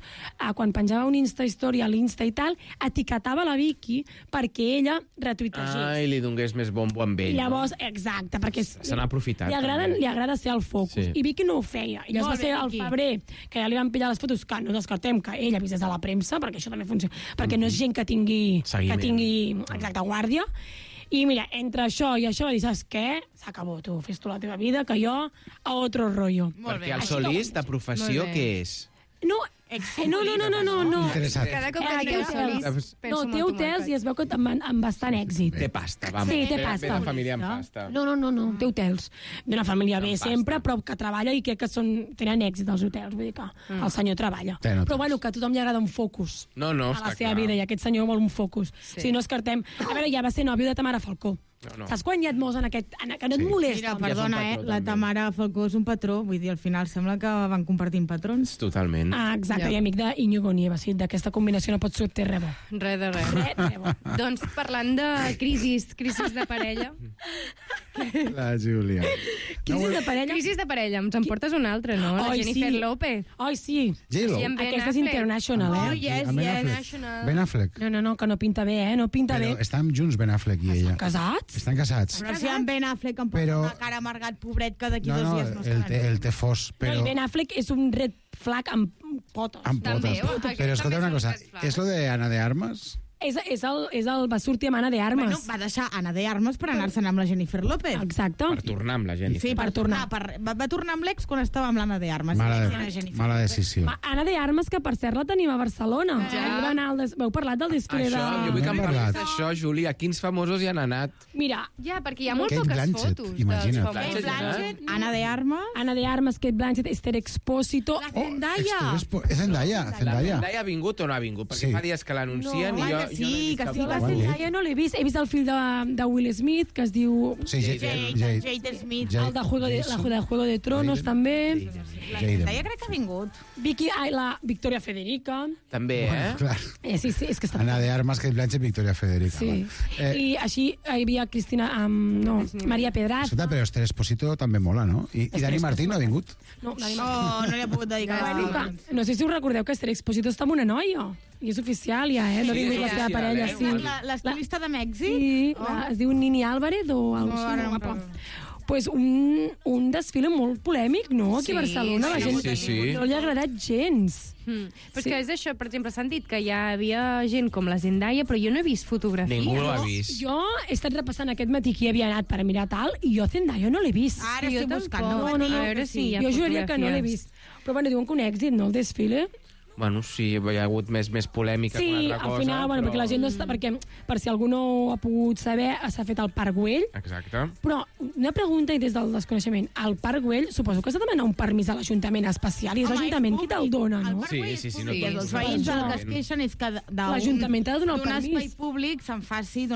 quan penjava un Insta-story a l'Insta i tal, etiquetava la Vicky perquè ella retuitegés. I li donés més bombo amb ell. Llavors, exacte, perquè se n'ha aprofitat. Li agrada ser el focus. I Vicky no ho feia. I llavors va ser al febrer que ja li van pillar les fotos, que no descartem que ella avisés a la premsa, perquè això també funciona, perquè no és gent que tingui exacte, guàrdia. I mira, entre això i això va dir, saps què? S'acabó, tu, fes tu la teva vida, que jo a otro rollo. Perquè el Solís, de professió, què és? No, no. Interessat. Cada cop que dius Solís, No, té hotels i es veu que amb bastant èxit. Té pasta, vamos. Sí, té pasta. Ve de família amb pasta. No, té hotels. D'una família bé sempre, però que treballa i crec que tenen èxit els hotels. Vull dir que el senyor treballa. Però bueno, que a tothom li agrada un focus No, a la està seva clar. vida, i aquest senyor vol un focus. Si no es cartem... A veure, ja va ser nòvio de Tamara Falcó. No. Saps quan hi ha molts en aquest... Que no et molesta? Mira, perdona, la Tamara Falcó és un patró, vull dir, al final sembla que van compartint patrons. Totalment. Exacte, i amic d'Iñigo Nieva, sí, d'aquesta combinació no pot sortir res bo. Res de res. Doncs parlant de crisis de parella... La Júlia. Crisis de parella? Crisis de parella, ens en portes una altra, no? La Jennifer López. Ai, sí. J-Lo. Sí, amb Ben Aquesta és Affleck. international, eh? yes, Amb Ben yes. Affleck. Ben Affleck. No, que no pinta bé, No pinta Però bé. estan junts Ben Affleck i ella. Casats? Estan casats. Però si en Ben Affleck em posa Però- una cara amargat, pobret, que d'aquí No, 2 no, dies no el té fos, No, però... i Ben Affleck és un red flag amb potes. Amb També, potes. aquest Però escolta també una és un cosa, red flag. és lo de Ana de Armas? Va sortir amb Anna de Armas. Bueno, va deixar Anna de Armas per anar-se'n amb la Jennifer López. Exacte. Per tornar amb la Jennifer. Sí, per tornar. Va tornar amb l'ex quan estava amb l'Anna de Armas. Mala decisió. Anna de Armas, que per cert la tenim a Barcelona. Ja. Va anar Veu parlat del desfile de... Això, jo vull que em No hem parlis parlat. d'això, Júlia. Quins famosos hi han anat? Mira, Ja, perquè hi ha molt Kate poques Blanchett, fotos. imagina't. dels famosos. Kate Blanchett. Anna de Armas. Anna de Armas, Kate Blanchett, Esther Expósito... La Zendaya. És Zendaya, La Zendaya. Zendaya ha vingut o no ha vingut? Perquè Sí. fa dies que l'anuncien i jo... home, que sí, que sí, La Quan Zendaya no l'he vist. He vist el fill de Will Smith, que es diu... Sí, Jade Smith. El de Juego de Tronos, també. La Zendaya crec que ha vingut. La Victoria Federica. També, Clar. Sí, és que està... Ana de Armas, Kate Blanchett, Victoria Federica. Sí. Va. I així hi havia Cristina... Maria Pedraza. Escolta, però Esther Esposito també mola, no? I Dani Martín no ha vingut? No, Oh, no li ha pogut dedicar. no sé si us recordeu que Esther Expósito està amb una noia. I és oficial, ja, No ha vingut la seva parella, sí. L'estilista de Mèxic? Sí, es diu Nini Álvarez o alguna cosa ara no així. me'n Pues un desfile molt polèmic, no? Aquí a Barcelona. La gent sí. no li ha agradat gens. Però és que és això, per exemple, s'han dit que hi havia gent com la Zendaya, però jo no he vist fotografies. Ningú l'ha vist. Jo he estat repassant aquest matí qui havia anat per mirar tal, i jo Zendaya no l'he vist. Ara Jo estic buscant. tampoc. No, A veure si hi ha Jo juraria que no l'he fotografies. vist. Però bueno, diuen que un èxit, no, el desfile? Bueno, sí, hi ha hagut més polèmica que Sí, una altra cosa. al final, bueno, perquè la gent no està... Perquè, per si algú no ha pogut saber, s'ha fet al Parc Güell. Exacte. Però una pregunta i des del desconeixement. Al Parc Güell suposo que s'ha de demanar un permís a l'Ajuntament especial i és l'Ajuntament qui te'l dona, no? Sí, no I els tot. veïns el que es queixen és que L'Ajuntament ha de donar el d'un permís. espai públic se'n faci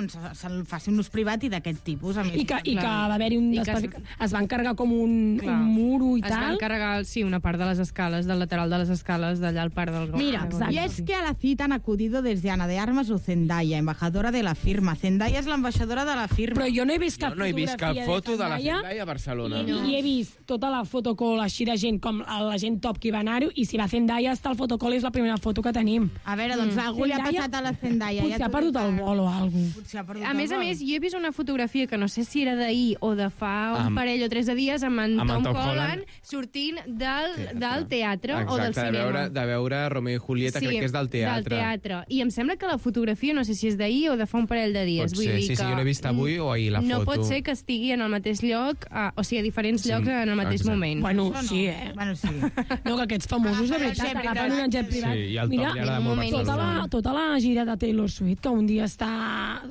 un ús privat i d'aquest tipus. A més. I que va haver-hi I que es va encarregar com un muro i Es van tal. carregar, sí, una part de les escales, del lateral de les escales, d'allà al parc del Gol. Mira, Exacto. y es que a la cita han acudido desde Ana de Armas o Zendaya, embajadora de la firma. Zendaya es la embajadora de la firma. Però jo no he vist cap Jo no he vist cap fotografia foto de la Zendaya Zendaya a Barcelona. i he vist tota la fotocall així de gent, com la gent top que hi va anar-hi, i si va Zendaya està el fotocall, és la primera foto que tenim. A veure, doncs algú li ha Zendaya- passat a la Zendaya. Potser ha perdut el vol o alguna cosa. Potser ha perdut A el més, vol. jo he vist una fotografia que no sé si era d'ahir o de fa un parell o 3 de dies amb en amb en Tom Tom Holland Holland sortint del teatre o del Exacte, cinema. de veure Romeo i Julieta, crec que és del teatre. Del teatre. I em sembla que la fotografia, no sé si és d'ahir o de fa un parell de dies. Pot Vull ser, dir sí, que jo l'he vist avui o ahir la no foto. pot ser que estigui en el mateix lloc, o sigui, a diferents llocs en el mateix exacte. moment. Bueno, Això no. sí, Bueno, sí. No, que aquests famosos, de veritat, jet agafen un jet privat. Sí, i el Tom Mira, li agrada en un molt moment Barcelona. tota la gira de Taylor Swift, que un dia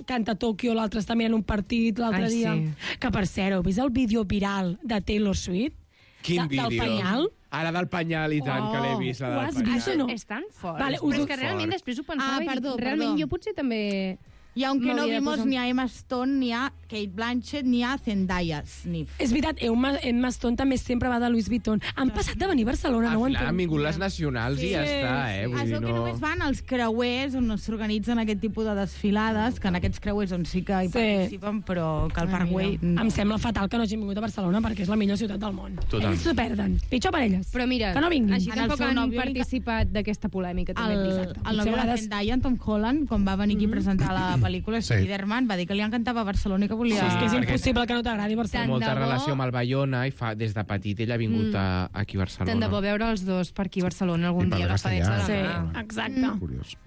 canta a Tòquio, l'altre està mirant un partit, l'altre Ai, dia... sí. Que, per cert, heu vist el vídeo viral de Taylor Swift? Quin Del vídeo? penyal? Ara del penyal, i tant, que l'he vist, la ho del has penyal. vist o no? És tan fort. Vale, Però és que fort. realment després ho pensava i perdó, dic, realment perdó. jo potser també... Y aunque no m'hauria de vimos posar- ni a Emma Stone, ni a Kate Blanchett, ni a Zendaya Sniff. És veritat, Emma Stone també sempre va de Louis Vuitton. Han passat de venir a Barcelona, no ho Al final han entenc. vingut les nacionals i ja està, Es Vull dir, veu que només van als creuers on s'organitzen aquest tipus de desfilades, que en aquests creuers on sí que hi participen, però que al Parc Güell... No. Em sembla fatal que no hagin vingut a Barcelona perquè és la millor ciutat del món. Totalment. Ells s'ho perden. Pitjor per elles. Però mira, que no vinguin. així En el tampoc seu han nòvio li- participat d'aquesta polèmica. També El et dic. nòvio Potser de a la vegades- Zendaya, en Tom Holland, quan va venir aquí a presentar la pel·lícula Sí. Spider-Man, va dir que li encantava Barcelona i que volia... És que és perquè- impossible que no t'agradi Té Barcelona. molta Tant de bo. relació amb el Bayona i des de petit ell ha vingut aquí a Barcelona. Tant de bo veure els dos per aquí a Barcelona algun I parla dia, agafadets de la castellà. mà. Sí, exacte. Curiós.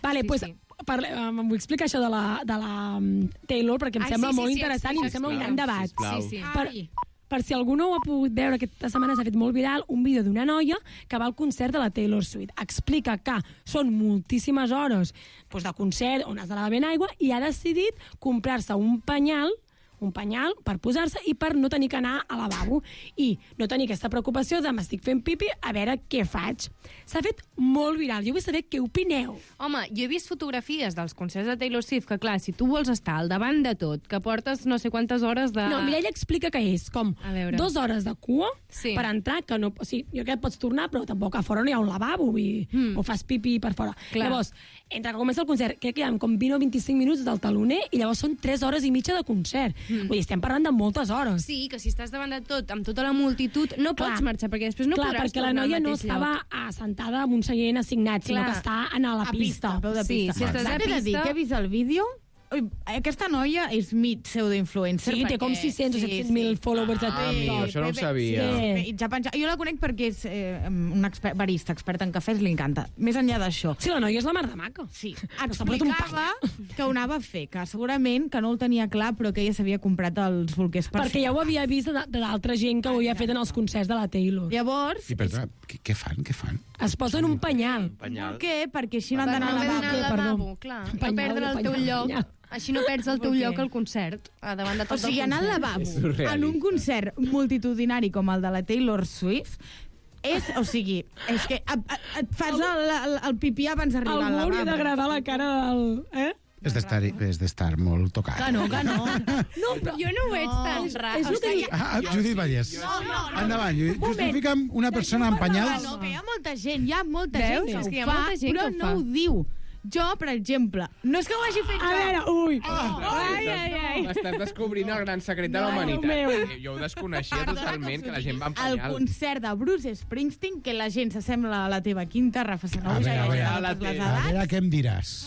Vale, Sí, pues, sí. vull explicar això de la Taylor, perquè em sembla molt interessant i em sembla un gran debat. Per si algú no ho ha pogut veure, aquesta setmana s'ha fet molt viral un vídeo d'una noia que va al concert de la Taylor Swift. Explica que són moltíssimes hores de concert on has de lavar ben aigua i ha decidit comprar-se un penyal per posar-se i per no tenir que anar al lavabo i no tenir aquesta preocupació de m'estic fent pipi, a veure què faig. S'ha fet molt viral. Jo vull saber què opineu. Home, jo he vist fotografies dels concerts de Taylor Swift que, clar, si tu vols estar al davant de tot, que portes no sé quantes hores de... No, mira, ella explica que és com 2 hores de cua per entrar, que no... O sigui, jo crec que pots tornar, però tampoc a fora no hi ha un lavabo o fas pipi per fora. Clar. Llavors, entre que comença el concert, crec que hi ha com 20 o 25 minuts del taloner i llavors són 3 hores i mitja de concert. Vull dir, estem parlant de moltes hores. Sí, que si estàs davant de tot, amb tota la multitud, no pots marxar, perquè després no podràs perquè tornar al mateix lloc. la noia no estava assentada en un seient assignat, sinó que està a la pista. A peu de pista. Si estàs a pista... Dir que he vist el vídeo, aquesta noia és mig pseudoinfluencer. Sí, té com 600 o 700.000 followers a TikTok. Amigo, això no ho sabia. Jo la conec perquè és un barista expert en cafès, li encanta. Més enllà d'això. Sí, la noia és la mar de maca. Sí, explicava que ho anava a fer, que segurament que no ho tenia clar, però que ella s'havia comprat els bolquers per perquè ja ho havia vist d'altra gent que ho havia fet en els concerts de la Taylor. Llavors... I perdona, què fan? Es posen un penyal. Per què? Perquè així no han d'anar al lavabo. Clar, no perdre el teu lloc. Així no perds el teu lloc al concert, davant de tot el concert. O sigui, anar al lavabo en un concert multitudinari com el de la Taylor Swift és que et fas el pipí abans d'arribar al lavabo. Algú hauria d'agradar la cara del... És d'estar molt tocat. Que no. No, però jo no ho veig tan rar. Judit Vallès. Endavant, justifica'm una persona amb penyals. No, que hi ha molta gent que ho fa, però no ho diu. Jo, per exemple, no és que ho hagi fet jo. A veure, ui. M'estàs descobrint el gran secret de la humanitat. Jo ho desconeixia totalment, que la gent va amb penyal. El concert de Bruce Springsteen, que la gent s'assembla a la teva quinta, Rafa Sanauja. A veure què em diràs.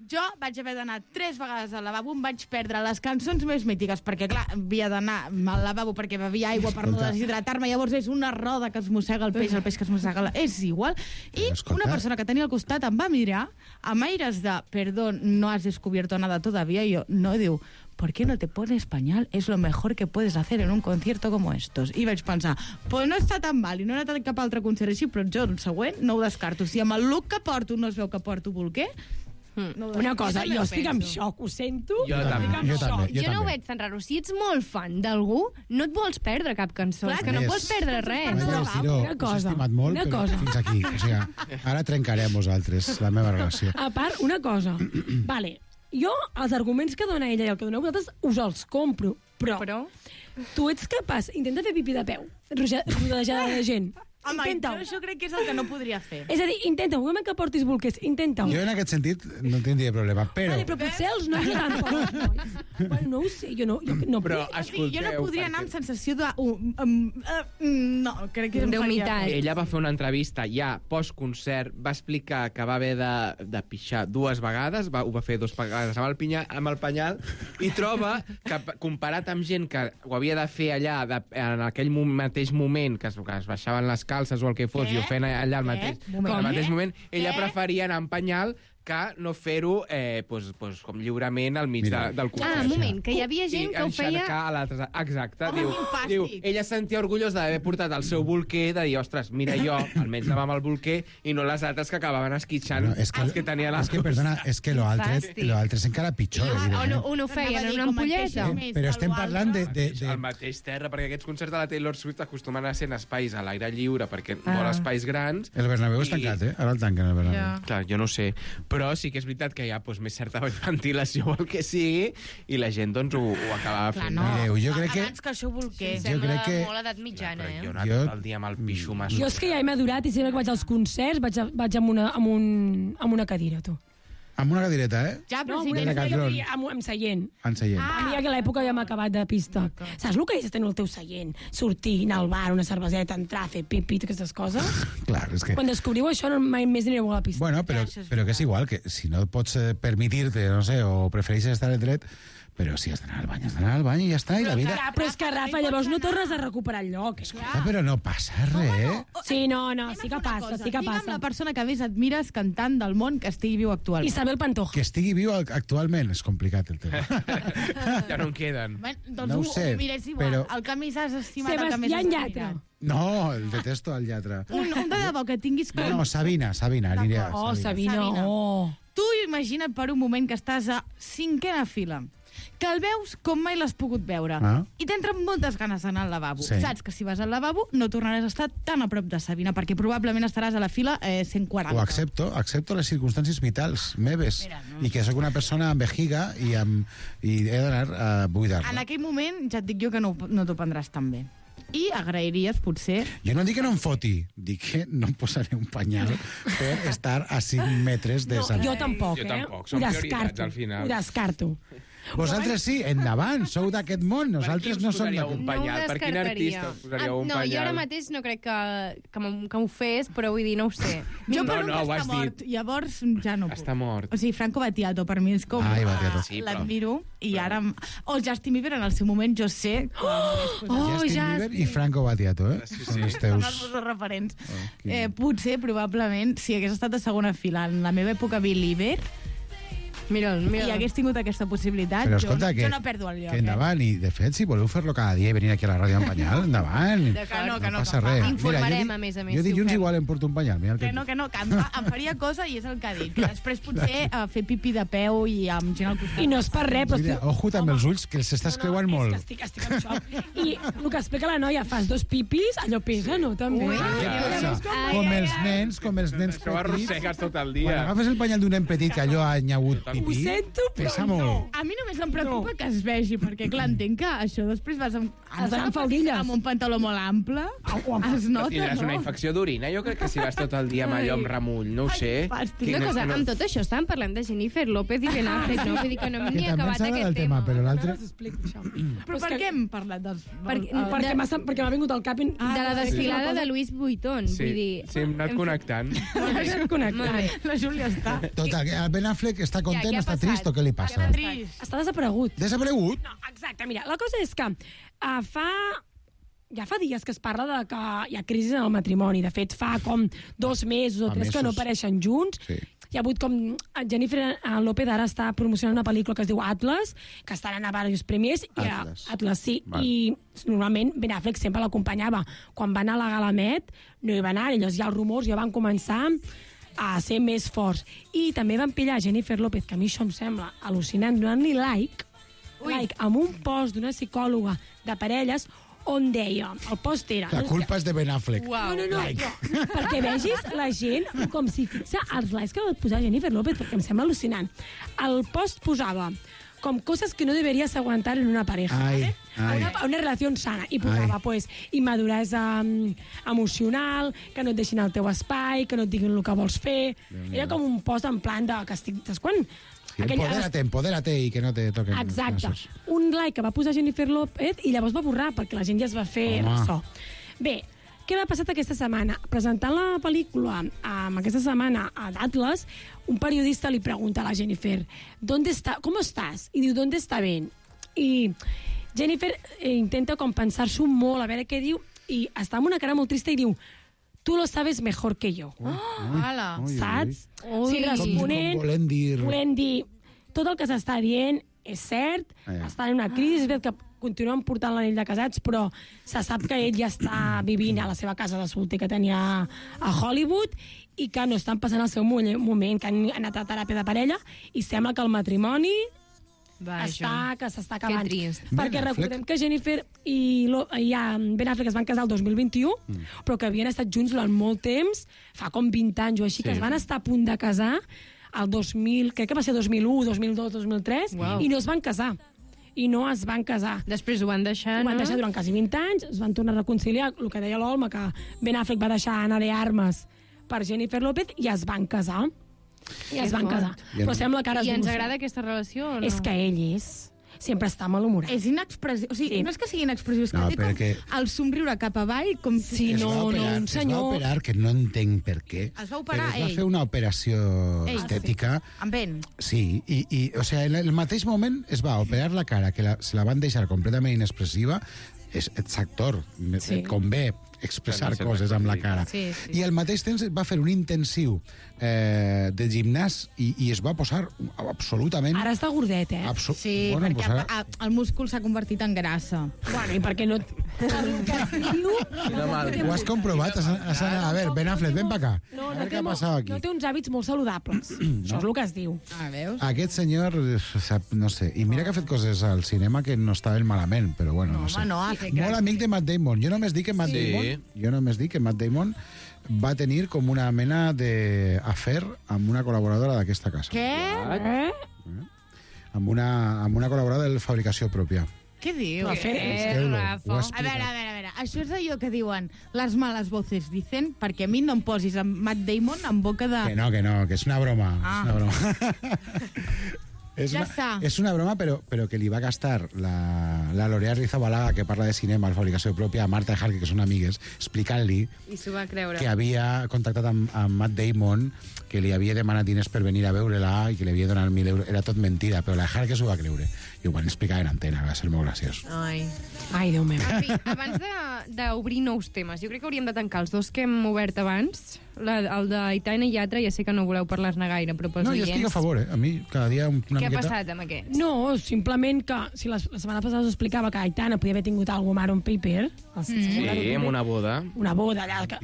Jo vaig haver d'anar 3 vegades al lavabo, em vaig perdre les cançons més mítiques, perquè, clar, havia d'anar al lavabo perquè bevia aigua per no deshidratar-me, llavors és una roda que es mossega el peix que es mossega... És igual. I una persona que tenia al costat em va mirar amb aires de perdón, no has descubierto nada todavía, i jo, no, diu, ¿por qué no te pones pañal? Es lo mejor que puedes hacer en un concierto como estos. I vaig pensar, pues no està tan mal, i no he anat a cap altre concert així, però jo, el següent, no ho descarto. Si amb el look que porto no es veu que porto bolquer, una cosa, jo estic en xoc, ho sento. Jo també. Jo no ho veig tan raro. Si ets molt fan d'algú, no et vols perdre cap cançó. És que no pots perdre res. Una cosa. Us he estimat molt, però fins aquí. O sigui, ara trencarem vosaltres la meva relació. A part, una cosa. Vale, jo els arguments que dona ella i el que doneu vosaltres us els compro, però tu ets capaç, intenta fer pipí de peu, rodejada de gent. Home, jo crec que és el que no podria fer. És a dir, intenta-ho, un moment que portis bolquers, intenta-ho. Jo en aquest sentit no tindria problema, però... Vale, però potser els nois tampoc. Bueno, no ho sé, jo no... Però, escolteu... Jo no podria anar amb sensació de... No, crec que em d'humitat. Ella va fer una entrevista ja post-concert, va explicar que va haver de pixar 2 vegades, ho va fer 2 vegades amb el penyal, i troba que, comparat amb gent que ho havia de fer allà en aquell mateix moment, que es baixaven les calces o el que fos, i ho feien allà al mateix moment, ella preferia anar amb penyal que no fer-ho com lliurement al mig del concert. Un moment, que hi havia gent que ho feia... Exacte. Diu, ella sentia orgullós d'haver portat el seu bolquer, de dir, ostres, mira jo, almenys anava amb el bolquer, i no les altres que acabaven esquitxant els que tenien les coses. Perdona, és que l'altre és encara pitjor. On ho feien? En una ampolleta? Però estem parlant de... Al mateix terra, perquè aquests concerts de la Taylor Swift acostumen a ser en espais a l'aire lliure, perquè vol espais grans. El Bernabéu és tancat, ara el tanquen, el Bernabéu. Clar, jo no sé, però sí que és veritat que hi ha més certa ventilació o el que sigui, i la gent doncs ho acabava fent. Mireu, jo crec que... Abans que això bolquer. Sembla molt edat mitjana, Jo he anat tot el dia amb el pixo masso. Jo és que ja he madurat i sempre que vaig als concerts vaig amb una cadira, tu. Amb una cadireta, Ja, però sí que amb seient. En seient. A mi a l'època ja m'ha acabat de pista. Saps el que és tenir el teu seient? Sortir, anar al bar, una cerveseta, entrar, fer pipi, aquestes coses? Clar, és que... Quan descobriu això, mai més anireu a la pista. Bueno, però que és igual, que si no pots permitir-te, no sé, o prefereixes estar en dret, Però si has d'anar al bany, has d'anar al bany i ja està, i la vida... Però és que, Rafa, llavors no tornes a recuperar el lloc. Però no passa res. Sí, no, sí que passa, sí que Digue'm passa. la persona que més admires cantant del món que estigui viu actualment. Isabel Pantoja. Que estigui viu actualment, és complicat el tema. Ja no en queden. Doncs No ho sé, mires igual. però- El que més has estimat, el que més Sebastián has Yatra. admirat. No, el detesto, el lletre. Un de debò que tinguis com... No, Sabina, aniria. Oh, Sabina, oh. Tu imagina't per un moment que estàs a 5ª fila, que el veus com mai l'has pogut veure, i t'entren moltes ganes d'anar al lavabo. Sí. Saps que si vas al lavabo no tornaràs a estar tan a prop de Sabina, perquè probablement estaràs a la fila 140. Ho accepto les circumstàncies vitals meves. I que sóc una persona amb vejiga i he d'anar a buidar-la. En aquell moment ja et dic jo que no t'ho prendràs tan bé. I agrairies, potser... Jo no dic que no em foti, dic que no em posaré un penyal per estar a 5 metres de Sabina. Jo tampoc, Jo tampoc, Ho són prioritats descarto, al final. Ho descarto. Vosaltres sí, endavant, sou d'aquest món, nosaltres no som d'aquest un món. penyal? Per quin artista us posaríeu un No, jo ara penyal? mateix no crec que m'ho fes, però vull dir, no ho sé. Jo per un ho que has està mort, dit. llavors ja no puc. Està mort. O sigui, Franco Battiato per mi és com... Ai, Battiato. Sí, però- l'admiro, i ara... O el Justin Bieber en el seu moment, jo sé... Justin Bieber i Franco Battiato, són els Són teus... els meus referents. Potser, probablement, si hagués estat a segona fila en la meva època Believer, Mira'l. i hagués tingut aquesta possibilitat, Però escolta, jo no perdo el lloc. que endavant, i de fet, si voleu fer-lo cada dia i venir aquí a la ràdio amb penyal, endavant. Que no, passa res. Informarem, a més, Jo si ho dilluns fem. igual em porto un penyal. Mira el Que no, que em faria cosa i és el que ha dit. Que després potser fer pipí de peu i amb gent al costat. I no és per res, però... Mira, ojo també els ulls, que s'estàs creuant molt. És que estic en xoc. I el que explica la noia, fas 2 pipis, allò pesa, no? També. Què passa? Com els nens Això ho petits. arrossegues tot el Quan dia. agafes el penyal d'un nen petit que allò ha nyauut pipí, Ho sento, però pesa no. molt. A mi només em preocupa que es vegi, perquè clar, entenc que això després vas amb faldilles. amb un pantaló molt ample, es nota, Tindràs una no? infecció d'orina. Jo crec que si vas tot el dia amb allò amb remull, no ho sé. fàstic. Una cosa, amb tot això estàvem parlant de Jennifer López i Ben Affleck, no? Vull dir que no hem Que ni també acabat s'ha aquest del tema, tema. però l'altre... Us explico això. Però per què hem parlat dels... Perquè m'ha vingut al cap... De la desfilada de Louis Vuitton, vull dir... Sí, hem anat connectant. Molt bé. La Júlia està... Total, el Ben Affleck està content, què ha està passat? trist o què li passa? Trist. Està desaparegut. Desaparegut? No, exacte, mira, la cosa és que ja fa dies que es parla de que hi ha crisi en el matrimoni. De fet, fa com 2 mesos o 3 que no apareixen junts. Sí. Hi ha hagut com... Jennifer López ara està promocionant una pel·lícula que es diu Atlas, que està anant a diversos premiers. Atlas, sí. Val. I normalment Ben Affleck sempre l'acompanyava. Quan va anar a la Gala Met, no hi va anar, i llavors ja els rumors ja van començar a ser més forts. I també van pillar Jennifer López, que a mi això em sembla al·lucinant, donant-li like amb un post d'una psicòloga de parelles on deia, el post era... La culpa és de Ben Affleck. No, perquè vegis la gent com si fixa els likes que va posar Jennifer López, perquè em sembla al·lucinant. El post posava com cosas que no deberías aguantar en una pareja, Ai, ¿vale? Una relació sana. I posava, pues, immaduresa emocional, que no et deixin el teu espai, que no et diguin el que vols fer. Era com un post en plan de... que estic, saps quan? Empodérate i que no te toquen. Exacte. Un like que va posar Jennifer López i llavors va borrar, perquè la gent ja es va fer ressò. Bé, què m'ha passat aquesta setmana? Presentant la pel·lícula aquesta setmana a d'Atlas, un periodista li pregunta a la Jennifer ¿cómo estás? I diu, ¿dónde está Ben? I Jennifer intenta com pensar-s'ho molt, a veure què diu, i està amb una cara molt trista i diu, tú lo sabes mejor que yo. Saps? Sí, responent, volent dir, tot el que s'està dient és cert, estan en una crisi, és veritat que continuen portant l'anell de casats, però se sap que ell ja està vivint a la seva casa de solter que tenia a Hollywood i que no estan passant el seu moment, que han anat a teràpia de parella i sembla que el matrimoni s'està acabant. Que trist. Perquè recordem que Jennifer i Ben Affleck es van casar el 2021, però que havien estat junts durant molt temps, fa com 20 anys o així, que es van estar a punt de casar el 2000, crec que va ser 2001, 2002, 2003, i no es van casar. I no es van casar. Després ho van deixar, Ho van deixar durant quasi 20 anys, es van tornar a reconciliar, el que deia l'Olma, que Ben Affleck va deixar Ana de Armas per Jennifer López i es van casar. I es van casar. Però sembla que ara... I ens agrada aquesta relació o no? És que ell és. sempre està malhumorat. És inexpressiu. O sigui, no és que sigui inexpressiu, és que té com el somriure cap avall, com si... Sí, un senyor... Es va operar, que no entenc per què. Es va operar però es va fer una operació estètica. Amb ell. Sí, o sigui, en el mateix moment es va operar la cara, que se la van deixar completament inexpressiva. Ets actor, et convé expressar coses amb la cara. I al mateix temps va fer un intensiu de gimnàs i es va posar absolutament... Ara està gordet, Sí, perquè el múscul s'ha convertit en grassa. Bueno, i perquè no... Ho has comprovat? A veure, Ben Affleck, ven pa acá. A veure què ha passat aquí. No té uns hàbits molt saludables. Això és el que es diu. Aquest senyor, no sé, i mira que ha fet coses al cinema que no estaven malament, però bueno, no sé. Molt amic de Matt Damon. Jo només dic que Matt Damon va tenir com una mena d'afer amb una col·laboradora d'aquesta casa. Què? Amb una col·laboradora de fabricació pròpia. Què diu? A veure. Això és allò que diuen les males voces dicen, perquè a mi no em posis amb Matt Damon en boca de... Que no, que és una broma. És una broma. És una broma, però que li va gastar la L'Oreal Rizabalaga, que parla de cinema, de fabricació pròpia, a Marta Harky, que són amigues, explicant-li que havia contactat amb Matt Damon, que li havia demanat diners per venir a veure-la i que li havia donat 1.000 euros. Era tot mentida, però la Harky s'ho va creure. I ho van explicar en antena, va ser molt graciós. Ai, Déu meu. Abans d'obrir nous temes, jo crec que hauríem de tancar els dos que hem obert abans, el d'Aitana i Yatra, ja sé que no voleu parlar-ne gaire, però pels oients... No, jo estic a favor, A mi, cada dia una miqueta... Què ha passat amb aquest? No, simplement que, si la setmana passada us explicava que Aitana podia haver tingut algo Maroon Paper... Sí, amb una boda. Una boda, allà...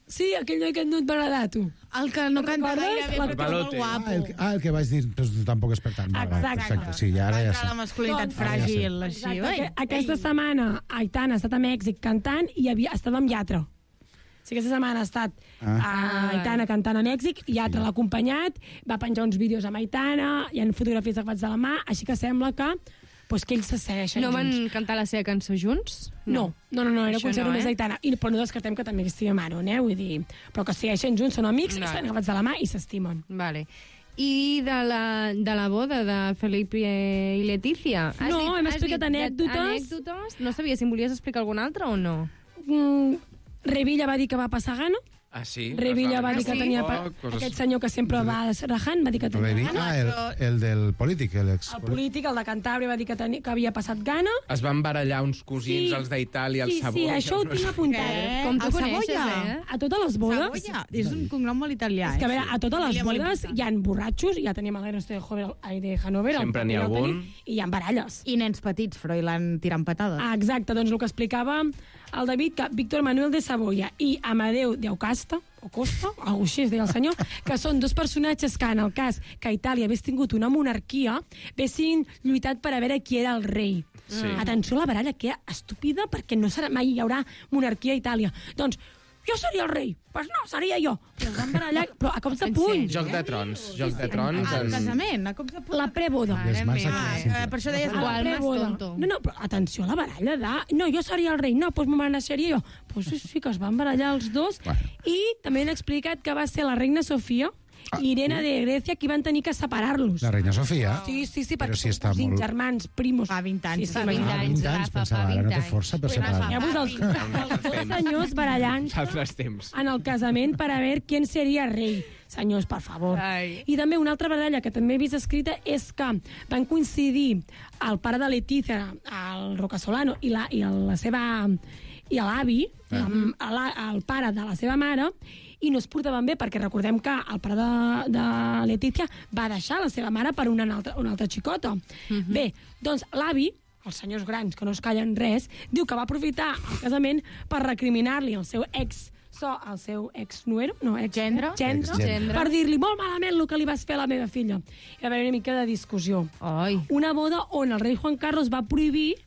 Sí, aquell noi que no et va agradar, tu. El que no canta gaire bé, però que molt guapo. El que vaig dir, però tampoc és per tant. Exacte. Sí, ara ja sé. La masculinitat fràgil, així. Aquesta setmana Aitana ha estat a Mèxic cantant i estava amb Yatra. Sí, aquesta setmana ha estat Aitana cantant a Mèxic, Yatra l'ha acompanyat, va penjar uns vídeos amb Aitana, hi ha fotografies agafats de la mà, així que sembla que ells se segueixen junts. No van cantar la seva cançó junts? No, era concert només d'Aitana. Però no descartem que també estigui Maroon, vull dir... Però que segueixen junts, són amics, estan agafats de la mà i s'estimen. Vale. I de la boda de Felipe i Letícia? No, hem explicat anècdotes. No sabia si em volies explicar alguna altra o no? Revilla va dir que va passar gana. Ah, sí? Revilla va dir que tenia... Aquest senyor que sempre va rajant va dir que tenia gana. El del polític, el polític, el de Cantàbria, va dir que havia passat gana. Es van barallar uns cosins, els d'Itàlia, el Savoia... Sí, això ho tinc apuntat. Com tu coneixes, A totes les bodes... Savoia, és un cognom molt italià. És que, a veure, a totes les bodes hi ha borratxos, ja teníem el Ernesto de Hanover... Sempre n'hi ha algun. I hi ha baralles. I nens petits, Froilán tirant patades. Exacte, doncs el que explicava el David, que Víctor Manuel de Savoia i Amadeu de Aucasta, o Costa, algú així es deia el senyor, que són dos personatges que, en el cas que Itàlia hagués tingut una monarquia, haguessin lluitat per a veure qui era el rei. Sí. Atenció a la baralla, que estúpida, perquè no mai hi haurà monarquia a Itàlia. Doncs, jo seria el rei. Pues no, seria jo. Però van barallar, però a cops de puny. Joc de trons. Joc de trons. Al casament, a cops de puny. La preboda. Per això deies la preboda. No, però atenció a la baralla de... No, jo seria el rei. No, doncs me naixeria jo. Pues sí, que es van barallar els dos. I també han explicat que va ser la reina Sofia i Irene de Grècia qui van tenir que separar-los. La reina Sofia? Sí, perquè són germans, primos. Fa 20 anys. Fa 20 anys, pensava, ara no té força per separar. Llavors, els dos senyors barallant en el casament per a veure qui seria rei. Senyors, per favor. I també una altra baralla que també he vist escrita és que van coincidir el pare de Letícia, el Rocasolano, i l'avi, el pare de la seva mare, i no es portaven bé, perquè recordem que el pare de Letícia va deixar la seva mare per una altra xicota. Bé, doncs l'avi, els senyors grans que no es callen res, diu que va aprofitar el casament per recriminar-li el seu gendre, per dir-li molt malament el que li vas fer a la meva filla. I va haver una mica de discussió. Una boda on el rei Juan Carlos va prohibir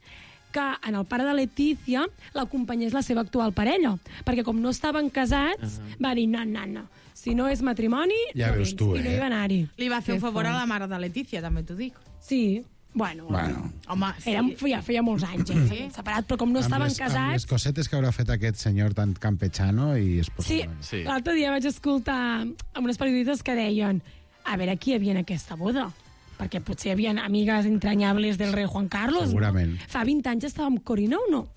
que en el pare de Letícia l'acompanyés la seva actual parella, perquè com no estaven casats, va dir, no, si no és matrimoni, ja veus tu, i no hi va anar-hi. Li va fer un favor a la mare de Letícia, també t'ho dic. Sí, bueno. Home, feia molts anys, separat, però com no estaven casats... Amb les cosetes que haurà fet aquest senyor tan campechano i es posa... Sí, l'altre dia vaig escoltar amb unes periodistes que deien a veure qui hi havia en aquesta boda. perquè potser hi havia amigues entranyables del rei Juan Carlos. Segurament. No? Fa 20 anys estava amb Corina o no?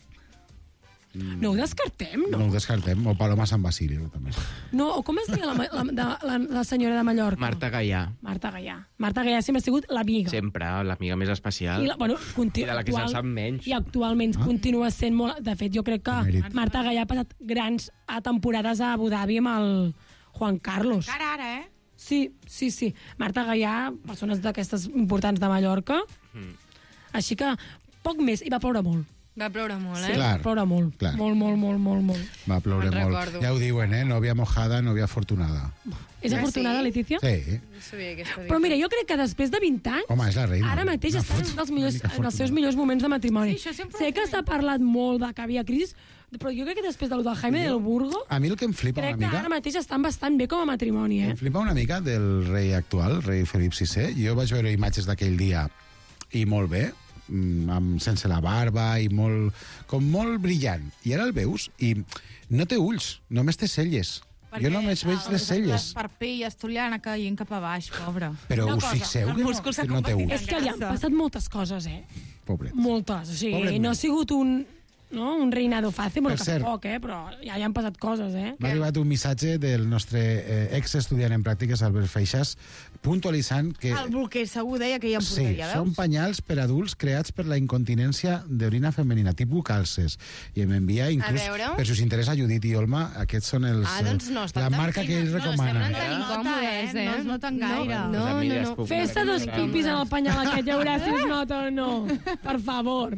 No ho descartem, no? No ho descartem. O Paloma San Basilio, també. No, o com es deia la senyora de Mallorca? Marta Gaià. Marta Gaià sempre ha sigut l'amiga. Sempre, l'amiga més especial. I de la que se'n sap menys. I actualment continua sent molt... De fet, jo crec que Marta Gaià ha passat grans temporades a Abu Dhabi amb el Juan Carlos. Encara ara, Sí. Marta Gaià, persones d'aquestes importants de Mallorca. Així que, poc més, i va ploure molt. Va ploure molt, Sí, clar, ploure molt. Clar. Molt. Va ploure Me'n molt. recordo. Ja ho diuen, Nòvia mojada, nòvia afortunada. És afortunada, Letícia? Sí. No sabia aquesta Però mira, jo crec que després de 20 anys... Home, és la reina. Ara mateix està en els seus millors moments de matrimoni. Sí, això sempre sé que s'ha parlat molt de que havia crisi, però jo crec que després del Jaime del Burgo... A mi el que em flipa crec una que mica... ara mateix estan bastant bé com a matrimoni, Em flipa una mica del rei actual, rei Felip VI. Jo vaig veure imatges d'aquell dia i molt bé, sense la barba i com molt brillant. I ara el veus i no té ulls, només té celles. Jo només veig les celles. L'esparpell estoliana caient cap a baix, pobre. Però us fixeu que no té ulls? És que li han passat moltes coses, Pobret. Moltes. O sigui, no ha sigut un reinado fàcil, però que poc, però ja hi han passat coses, M'ha arribat un missatge del nostre ex-estudiant en pràctiques, Albert Feixas, puntualitzant que... El bolquer segur deia que hi ha porteria, veus? Són penyals per adults creats per la incontinència d'orina femenina, tipus calces. I m'envia inclús, per si us interessa, Judit i Olma, aquests són els... doncs no, la marca que ells recomanen. No estem tan incòmodes, No es noten gaire. No. Fes-te 2 pipis en el penyal aquest, ja veuràs si es nota o no. Per favor.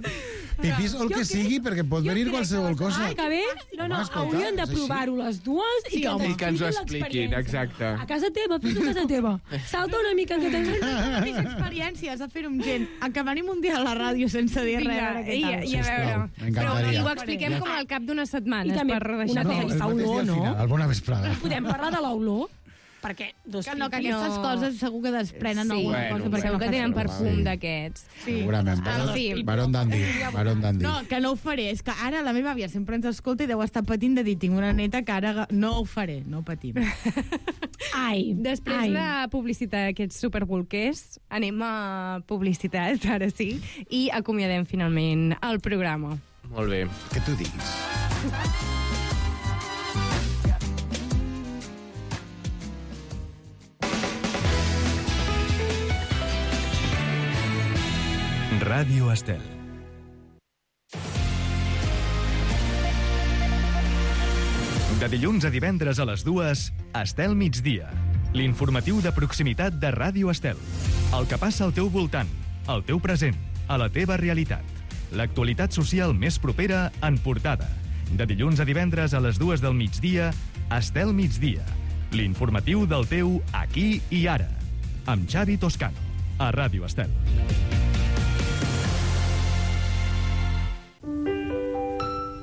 Pipis o el que sigui, perquè pot venir qualsevol cosa. Que bé? No, haurien de provar-ho les dues i que ens ho expliquin, exacte. A casa teva, fes-ho a casa teva. Salta una mica que tens... Mateixa experiència, has de fer-ho amb gent. Que venim un dia a la ràdio sense dir res. I a veure. Però ho expliquem com al cap d'unes setmanes. I també una cosa, fa olor, no? Al bona vesprada. Podem parlar de l'olor? Perquè que aquestes coses segur que desprenen alguna cosa. Perquè segur que tenen perfum d'aquests. Segurament. Baron Dandy. No, que no ho faré. És que ara la meva àvia sempre ens escolta i deu estar patint de dir, tinc una neta que ara no ho faré, no patim. Després de publicitat aquests superbolquers, anem a publicitat, ara sí, i acomiadem finalment el programa. Molt bé. Que tu diguis. Ràdio Estel. De dilluns a divendres a les 2, Estel migdia. L'informatiu de proximitat de Ràdio Estel. El que passa al teu voltant, al teu present, a la teva realitat. L'actualitat social més propera en portada. De dilluns a divendres a les 2 del migdia, Estel migdia. L'informatiu del teu aquí i ara. Amb Xavi Toscano, a Ràdio Estel.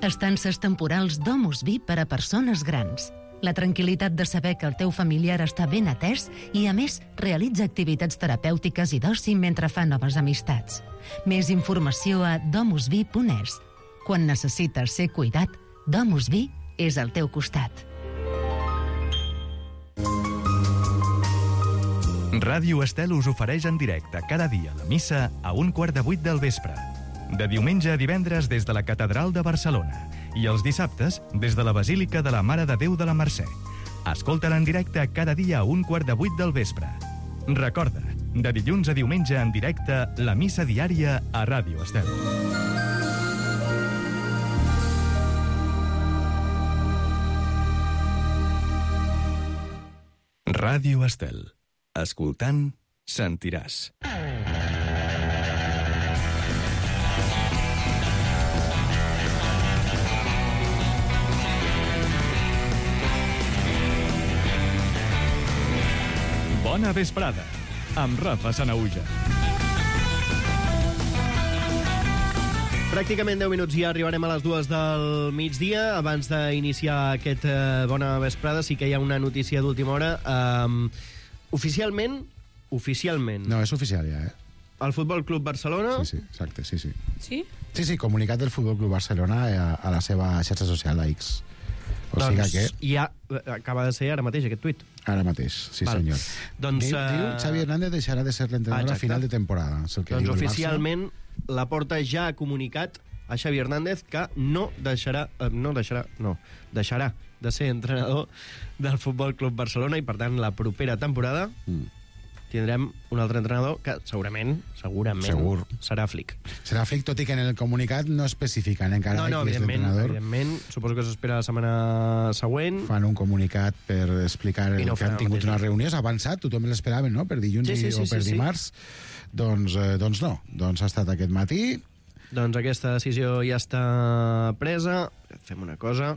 Estances temporals Domus Vi per a persones grans. La tranquil·litat de saber que el teu familiar està ben atès i, a més, realitza activitats terapèutiques i d'oci mentre fa noves amistats. Més informació a domusvi.es. Quan necessites ser cuidat, Domus Vi és al teu costat. Ràdio Estel us ofereix en directe cada dia la missa a 7:15 del vespre. De diumenge a divendres des de la Catedral de Barcelona i els dissabtes des de la Basílica de la Mare de Déu de la Mercè. Escolta-la en directe cada dia a 7:15 del vespre. Recorda, de dilluns a diumenge en directe, la missa diària a Ràdio Estel. Ràdio Estel. Escoltant, sentiràs. Bona vesprada, amb Rafa Sanaüja. Pràcticament 10 minuts i ja arribarem a les 2 del migdia. Abans d'iniciar aquest Bona vesprada, sí que hi ha una notícia d'última hora. Oficialment... No, és oficial ja, El Futbol Club Barcelona... Sí, exacte, sí. Sí? Sí, comunicat del Futbol Club Barcelona a la seva xarxa social, a X. O sigui que... ja acaba de ser ara mateix aquest tuit. Ara mateix, sí senyor. Doncs, diu Xavi Hernández deixarà de ser l'entrenador a final de temporada. És el que doncs diu el oficialment Laporta ja ha comunicat a Xavi Hernández que deixarà de ser entrenador del Futbol Club Barcelona i, per tant, la propera temporada tindrem un altre entrenador que segurament serà Flick. Serà Flick, tot i que en el comunicat no especifiquen encara qui és l'entrenador. Evidentment, suposo que s'espera la setmana següent. Fan un comunicat per explicar que han tingut una reunió, s'ha avançat, tothom l'esperaven, no?, per dilluns o per dimarts. Doncs no, doncs ha estat aquest matí. Doncs aquesta decisió ja està presa. Fem una cosa,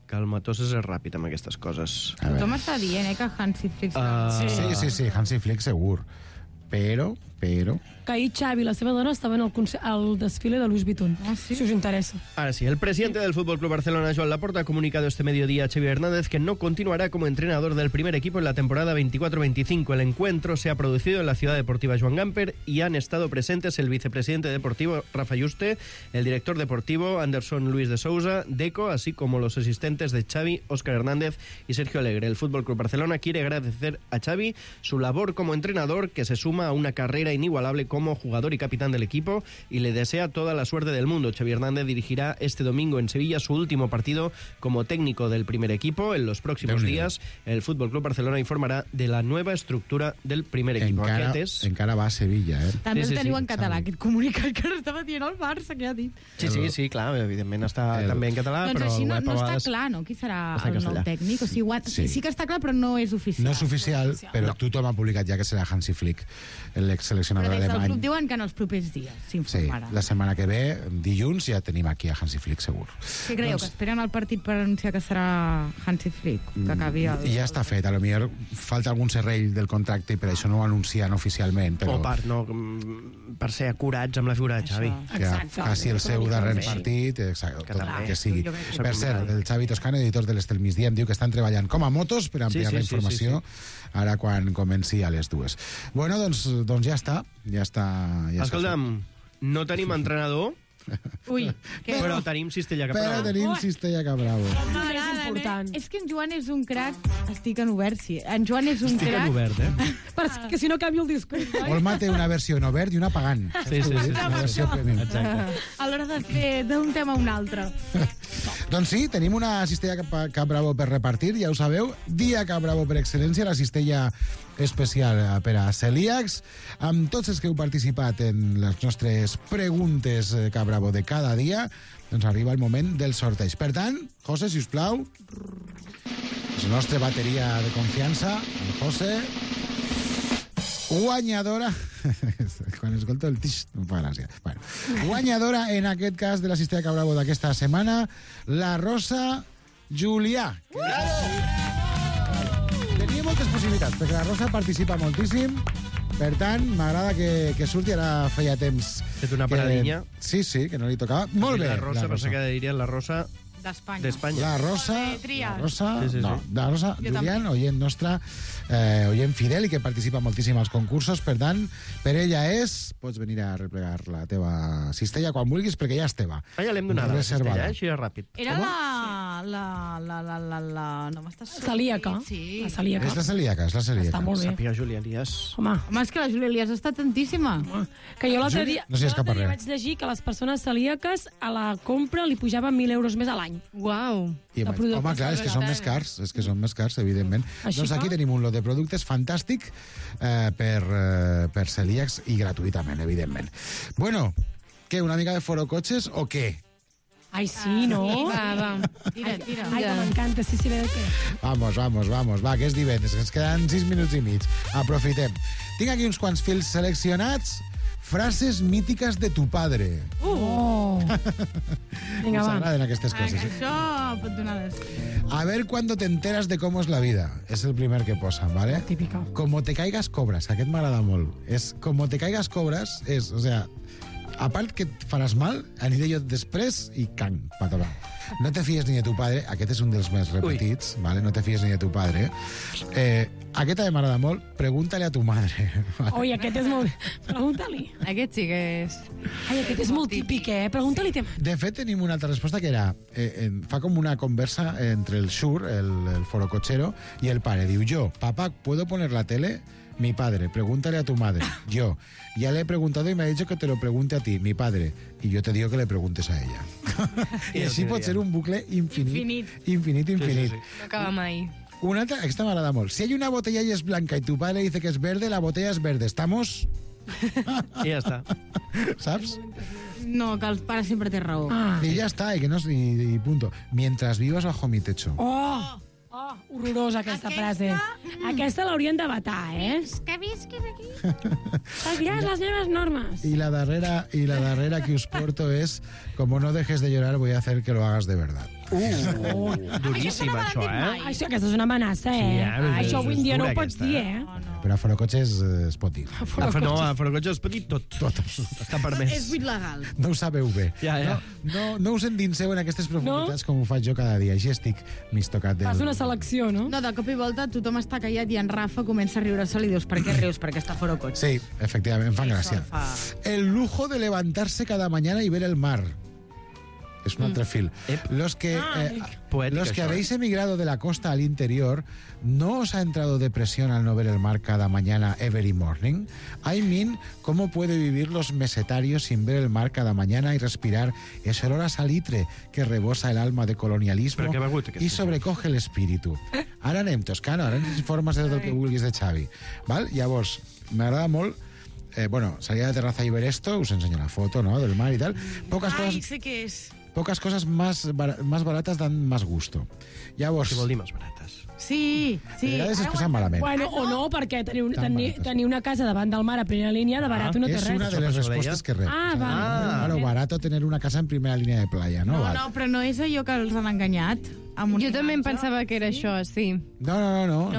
que el Matos és ràpid amb aquestes coses. Tothom està dient, que Hansi Flick... Sí, Hansi Flick segur. Però... Que ahir Xavi i la seva dona estaven al desfile de Louis Vuitton. Si us interesa. Ahora sí, el presidente del Fútbol Club Barcelona, Joan Laporta, ha comunicado este mediodía a Xavi Hernández que no continuará como entrenador del primer equipo en la temporada 24-25. El encuentro se ha producido en la Ciudad Deportiva Joan Gamper y han estado presentes el vicepresidente deportivo Rafa Yuste, el director deportivo Anderson Luis de Sousa, Deco, así como los asistentes de Xavi, Óscar Hernández y Sergio Alegre. El Fútbol Club Barcelona quiere agradecer a Xavi su labor como entrenador, que se suma a una carrera inigualable como jugador y capitán del equipo, y le desea toda la suerte del mundo. Xavi Hernández dirigirá este domingo en Sevilla su último partido como técnico del primer equipo. En los próximos días el Fútbol Club Barcelona informará de la nueva estructura del primer equipo. Encara va a Sevilla, També el teniu en català, aquest comunicat que estava dient el Barça, que ha dit. Sí, clar, evidentment està també en català, doncs però... Doncs així no està clar, no?, qui serà el nou tècnic. O sigui, sí que està clar, però no és oficial. No és oficial, però tothom ha publicat ja que serà Hansi Flick, l'ex-seleccionador alemany. Però des del club diuen que en els propers dies s'informarà. Sí, la setmana que ve, dilluns, ja tenim aquí a Hansi Flick, segur. Què creieu, que esperen el partit per anunciar que serà Hansi Flick? Que acabi el... Ja està fet, potser falta algun serrell del contracte i per això no ho anuncien oficialment. Però... per ser acurats amb la figura de Xavi. Que faci el seu darrer partit, tot el que sigui. Per cert, el Xavi Toscano, editor de l'Estel Migdia, em diu que estan treballant com a motos per ampliar la informació ara quan comenci a les 2. Bueno, doncs ja està. Escolta'm, no tenim entrenador, però tenim Cistella Cabravo. Però tenim Cistella Cabravo. És que en Joan és un crac. Estic en obert, sí. En Joan és un crac. Estic en obert, perquè si no canvio el discurs. Olma té una versió en obert i una pagant. Sí. Una versió premium. A l'hora de fer d'un tema a un altre. Doncs sí, tenim una cistella Cap Bravo per repartir, ja ho sabeu. Dia Cap Bravo per excel·lència, la cistella especial per a celíacs, amb tots els que heu participat en les nostres preguntes Cap Bravo de cada dia. Doncs arriba el moment del sorteig. Per tant, José, si us plau, la nostra bateria de confiança, el José, guanyadora... Quan escolto el tix, em fa gràcia. Bueno, guanyadora, en aquest cas, de la cistella Cap Bravo d'aquesta setmana, la Rosa Julià. Tenia moltes possibilitats, perquè la Rosa participa moltíssim. Per tant, m'agrada que surti, ara feia temps... Fet una paradinha. Sí, que no li tocava. Molt bé. La Rosa, pensava que dirien la Rosa... d'Espanya. La Rosa, sí. No, la Rosa Julián, oient nostra, oient fidel i que participa moltíssim als concursos, per tant, per ella pots venir a replegar la teva cistella quan vulguis, perquè ja és teva. Ja l'hem donat, la cistella, així de ràpid. Era no m'estàs... Celíaca. Sí. La celíaca. És la celíaca. Està molt bé. Sàpiga, Júlia Elias. Home, és que la Júlia Elias està tantíssima. Que jo l'altre dia, no vaig llegir que les persones celíaques a la compra li pujaven 1.000 euros més a l'any. Uau. Home, clar, és que són més cars, evidentment. Doncs aquí tenim un lot de productes fantàstic per celíacs i gratuïtament, evidentment. Bueno, què, una mica de forocotxes o què? Ai, sí, no? Va. Tira. Ai, que m'encanta, sí, ve de què. Vamos, va, que és divendres, que ens queden 6 minuts i mig. Aprofitem. Tinc aquí uns quants fils seleccionats. Frases mítiques de tu padre. Vinga, va. M'agraden aquestes coses. Això pot donar A ver cuando te enteras de cómo es la vida. És el primer que posa, ¿vale? Típica. Como te caigas cobras. Aquest m'agrada molt. És como te caigas cobras, és, o sea, a part que et faràs mal, aniré jo després i can, patolar. No te fies ni de tu padre. Aquest és un dels més repetits, ¿vale? No te fies ni de tu padre. Aquest també m'agrada molt. Pregúntale a tu madre. Oi, aquest és molt... Pregunta-li. Aquest sí que és... Ai, aquest és molt típic, Pregunta-li. De fet, tenim una altra resposta que era... fa com una conversa entre el Shur, el forocochero, y el padre. Diu, yo, papá, ¿puedo poner la tele? Mi padre, pregúntale a tu madre. Yo, ya le he preguntado y me ha dicho que te lo pregunte a ti, mi padre. Y yo te digo que le preguntes a ella. I així pot ser un bucle infinit. Infinit. No acaba mai. Una altra, aquesta m'agrada molt. Si hay una botella y es blanca y tu padre dice que es verde, la botella es verde. ¿Estamos? I ja està. ¿Saps? No, que el pare sempre té raó. Y ya está, y que no, y punto. Mientras vivas bajo mi techo. Horrorosa aquesta frase. Aquesta l'haurien de vetar, Que visquis aquí. Seguiràs les meves normes. Y la darrera que us porto es, como no dejes de llorar, voy a hacer que lo hagas de verdad. Duríssim, això, Això, aquesta és una amenaça, Això avui en dia no ho pots dir, Però a Forocotxes es pot dir. No, a Forocotxes es pot dir tot. Està permès. És buit legal. No ho sabeu bé. Ja. No us endinseu en aquestes profunditats com ho faig jo cada dia. Així estic mig tocat. Fas una selecció, no? No, de cop i volta tothom està callat i en Rafa comença a riure-se-li i dius, per què rius? Perquè està Forocotxes. Sí, efectivament, em fan gràcia. El lujo de levantarse cada mañana y ver el mar. Es un altre fil. Los que habéis emigrado de la costa al interior, ¿no os ha entrado depresión al no ver el mar cada mañana, every morning? I mean, ¿cómo puede vivir los mesetarios sin ver el mar cada mañana y respirar ese olor a salitre que rebosa el alma de colonialismo y sobrecoge el espíritu? Ara anem toscant, ara ens informes de tot el que vulguis de Xavi. Val? Llavors, m'agrada molt salida de terraza y ver esto, us enseño la foto, ¿no?, del mar y tal. Sé què és. Pocas cosas más baratas dan más gusto. Llavors... Què vol dir més barates? Sí. A vegades es passen malament. Bueno, o no, perquè tenir una casa davant del mar a primera línia de barat no té res. És una de les respostes que rep. Claro, barato tener una casa en primera línia de playa, ¿no? No, però no és allò que els han enganyat. Jo també em pensava que era això, sí. No. No,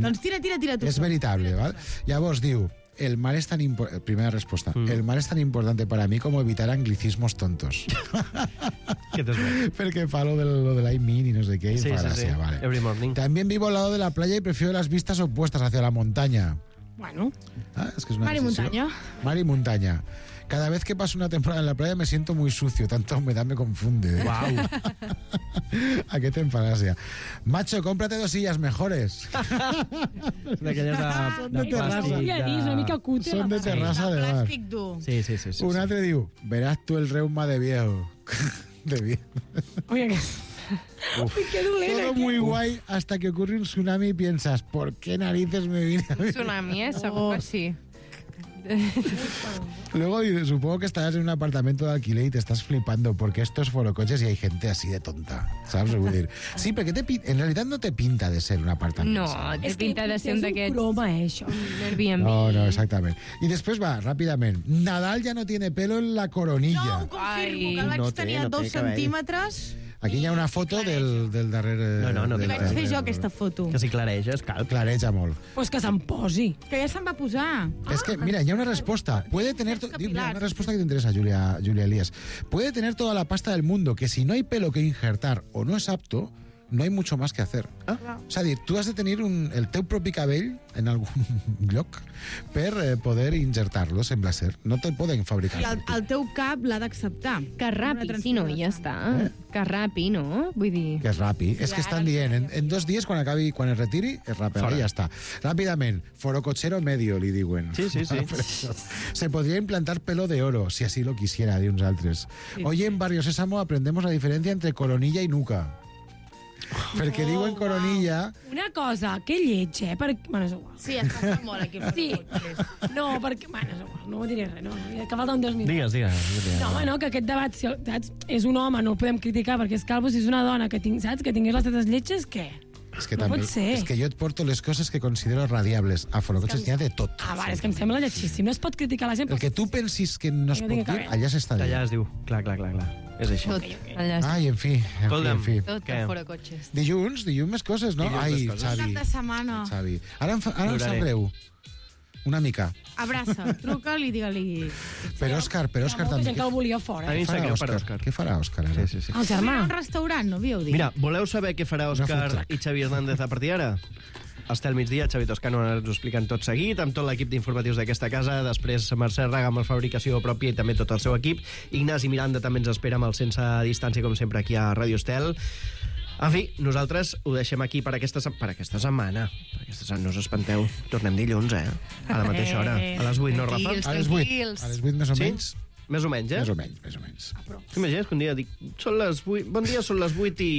Doncs tira tu. És veritable, ¿vale? Llavors diu, el mar es tan importante... Primera respuesta. El mar es tan importante para mí como evitar anglicismos tontos. ¿Qué te suena? Porque fa lo de la I mean y no sé qué. Sí. Vale. Every morning. También vivo al lado de la playa y prefiero las vistas opuestas hacia la montaña. Bueno. Es que es una mar y montaña. Mar y montaña. Cada vez que paso una temporada en la playa me siento muy sucio. Tanta humedad me confunde. Wow. ¿A qué te enfalasia? Macho, cómprate 2 sillas mejores. D'aquelles de plàstic. Una mica cutre. Són de terrassa de bar. Plàstic dur. Sí. Un altre diu, verás tú el reuma de viejo. De viejo. Oye, qué dolent. Todo muy guay hasta que ocurre un tsunami y piensas, ¿por qué narices me vine a vivir? Tsunami, segur que sí. Luego supongo que estarás en un apartamento de alquiler y te estás flipando porque esto es Forocoches y hay gente así de tonta, ¿sabes? Sí, perquè en realitat no te pinta de ser un apartament. No, te pinta de ser un d'aquests... És un croma, això. Airbnb. No, exactament. I després va, ràpidament. Nadal ja no tiene pelo en la coronilla. No, ho confirmo, que el vaig tenir a 2 centímetres... Aquí hi ha una foto del darrere... No. Li vaig fer jo aquesta foto. Que si clareja, clareja molt. Pues que se'n posi. Que ja se'n va posar. Es que, mira, hi ha una respuesta. Puede tener... Mira, una respuesta que te interesa, Julia Elías. Puede tener toda la pasta del mundo, que si no hay pelo que injertar o no es apto, no hay mucho más que hacer. És a dir, tu has de tenir el teu propi cabell en algun lloc per poder injertar-lo, sembla ser. No te'l poden fabricar. I el teu cap l'ha d'acceptar. Que rapi, si no, ja està. Que rapi, no? Vull dir... Que és rapi. És que estan dient, en 2 dies, quan es retiri, es raperà i ja està. Ràpidament, forocochero medio, li diuen. Sí. Se podría implantar pelo de oro, si así lo quisiera, de uns altres. Hoy en Barrio Sésamo aprendemos la diferencia entre coronilla y nuca. Perquè diuen coronilla... Una cosa, que lleig, Bueno, és igual. Sí, es passa molt aquí. Sí. No, perquè... Bueno, és igual, no ho diré res, no. Que falta un 2 minuts. Digues. No, bueno, que aquest debat, si és un home, no el podem criticar perquè és calvo, si és una dona que tingués les tetes lletges, què? És que també, és que jo et porto les coses que considero radiables. A Forocoches n'hi ha de tot. Vale, és que em sembla lletgíssim. No es pot criticar la gent. El que tu pensis que no es pot dir, allà s'està dient. Allà es diu, clar. És així. Ai, en fi. Tot a Forocoches. Dilluns més coses, no? Ai, Xavi. Cap de setmana. Ara em sap greu. una mica. Abraça, truca'l i digue-li... Però Òscar Hi ha molta gent que el volia fora. A mi em sap greu per Òscar. Què farà Òscar ara? Sí. El germà. Un restaurant, no havíeu dit? Mira, voleu saber què farà Òscar i Xavi Hernández a partir d'ara? Estel migdia, Xavi Toscano ens ho expliquen tot seguit, amb tot l'equip d'informatius d'aquesta casa, després Mercè Raga amb la fabricació pròpia i també tot el seu equip. Ignasi Miranda també ens espera amb el Sense Distància, com sempre, aquí a Ràdio Estel. En fi, nosaltres ho deixem aquí per aquesta setmana. No us espanteu. Tornem dilluns, a la mateixa hora. A les 8, no, Rafa? A les 8. A les 8 més o menys. Més o menys, Més o menys. T'imagines que un dia dic, són les 8, bon dia, són les 8 i...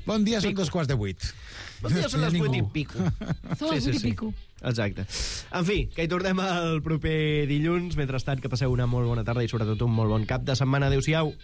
Bon dia, són 2:15. Bon dia, són les 8 i pico. Són les 8 i pico. Exacte. En fi, que hi tornem el proper dilluns. Mentrestant, que passeu una molt bona tarda i sobretot un molt bon cap de setmana. Adéu-siau.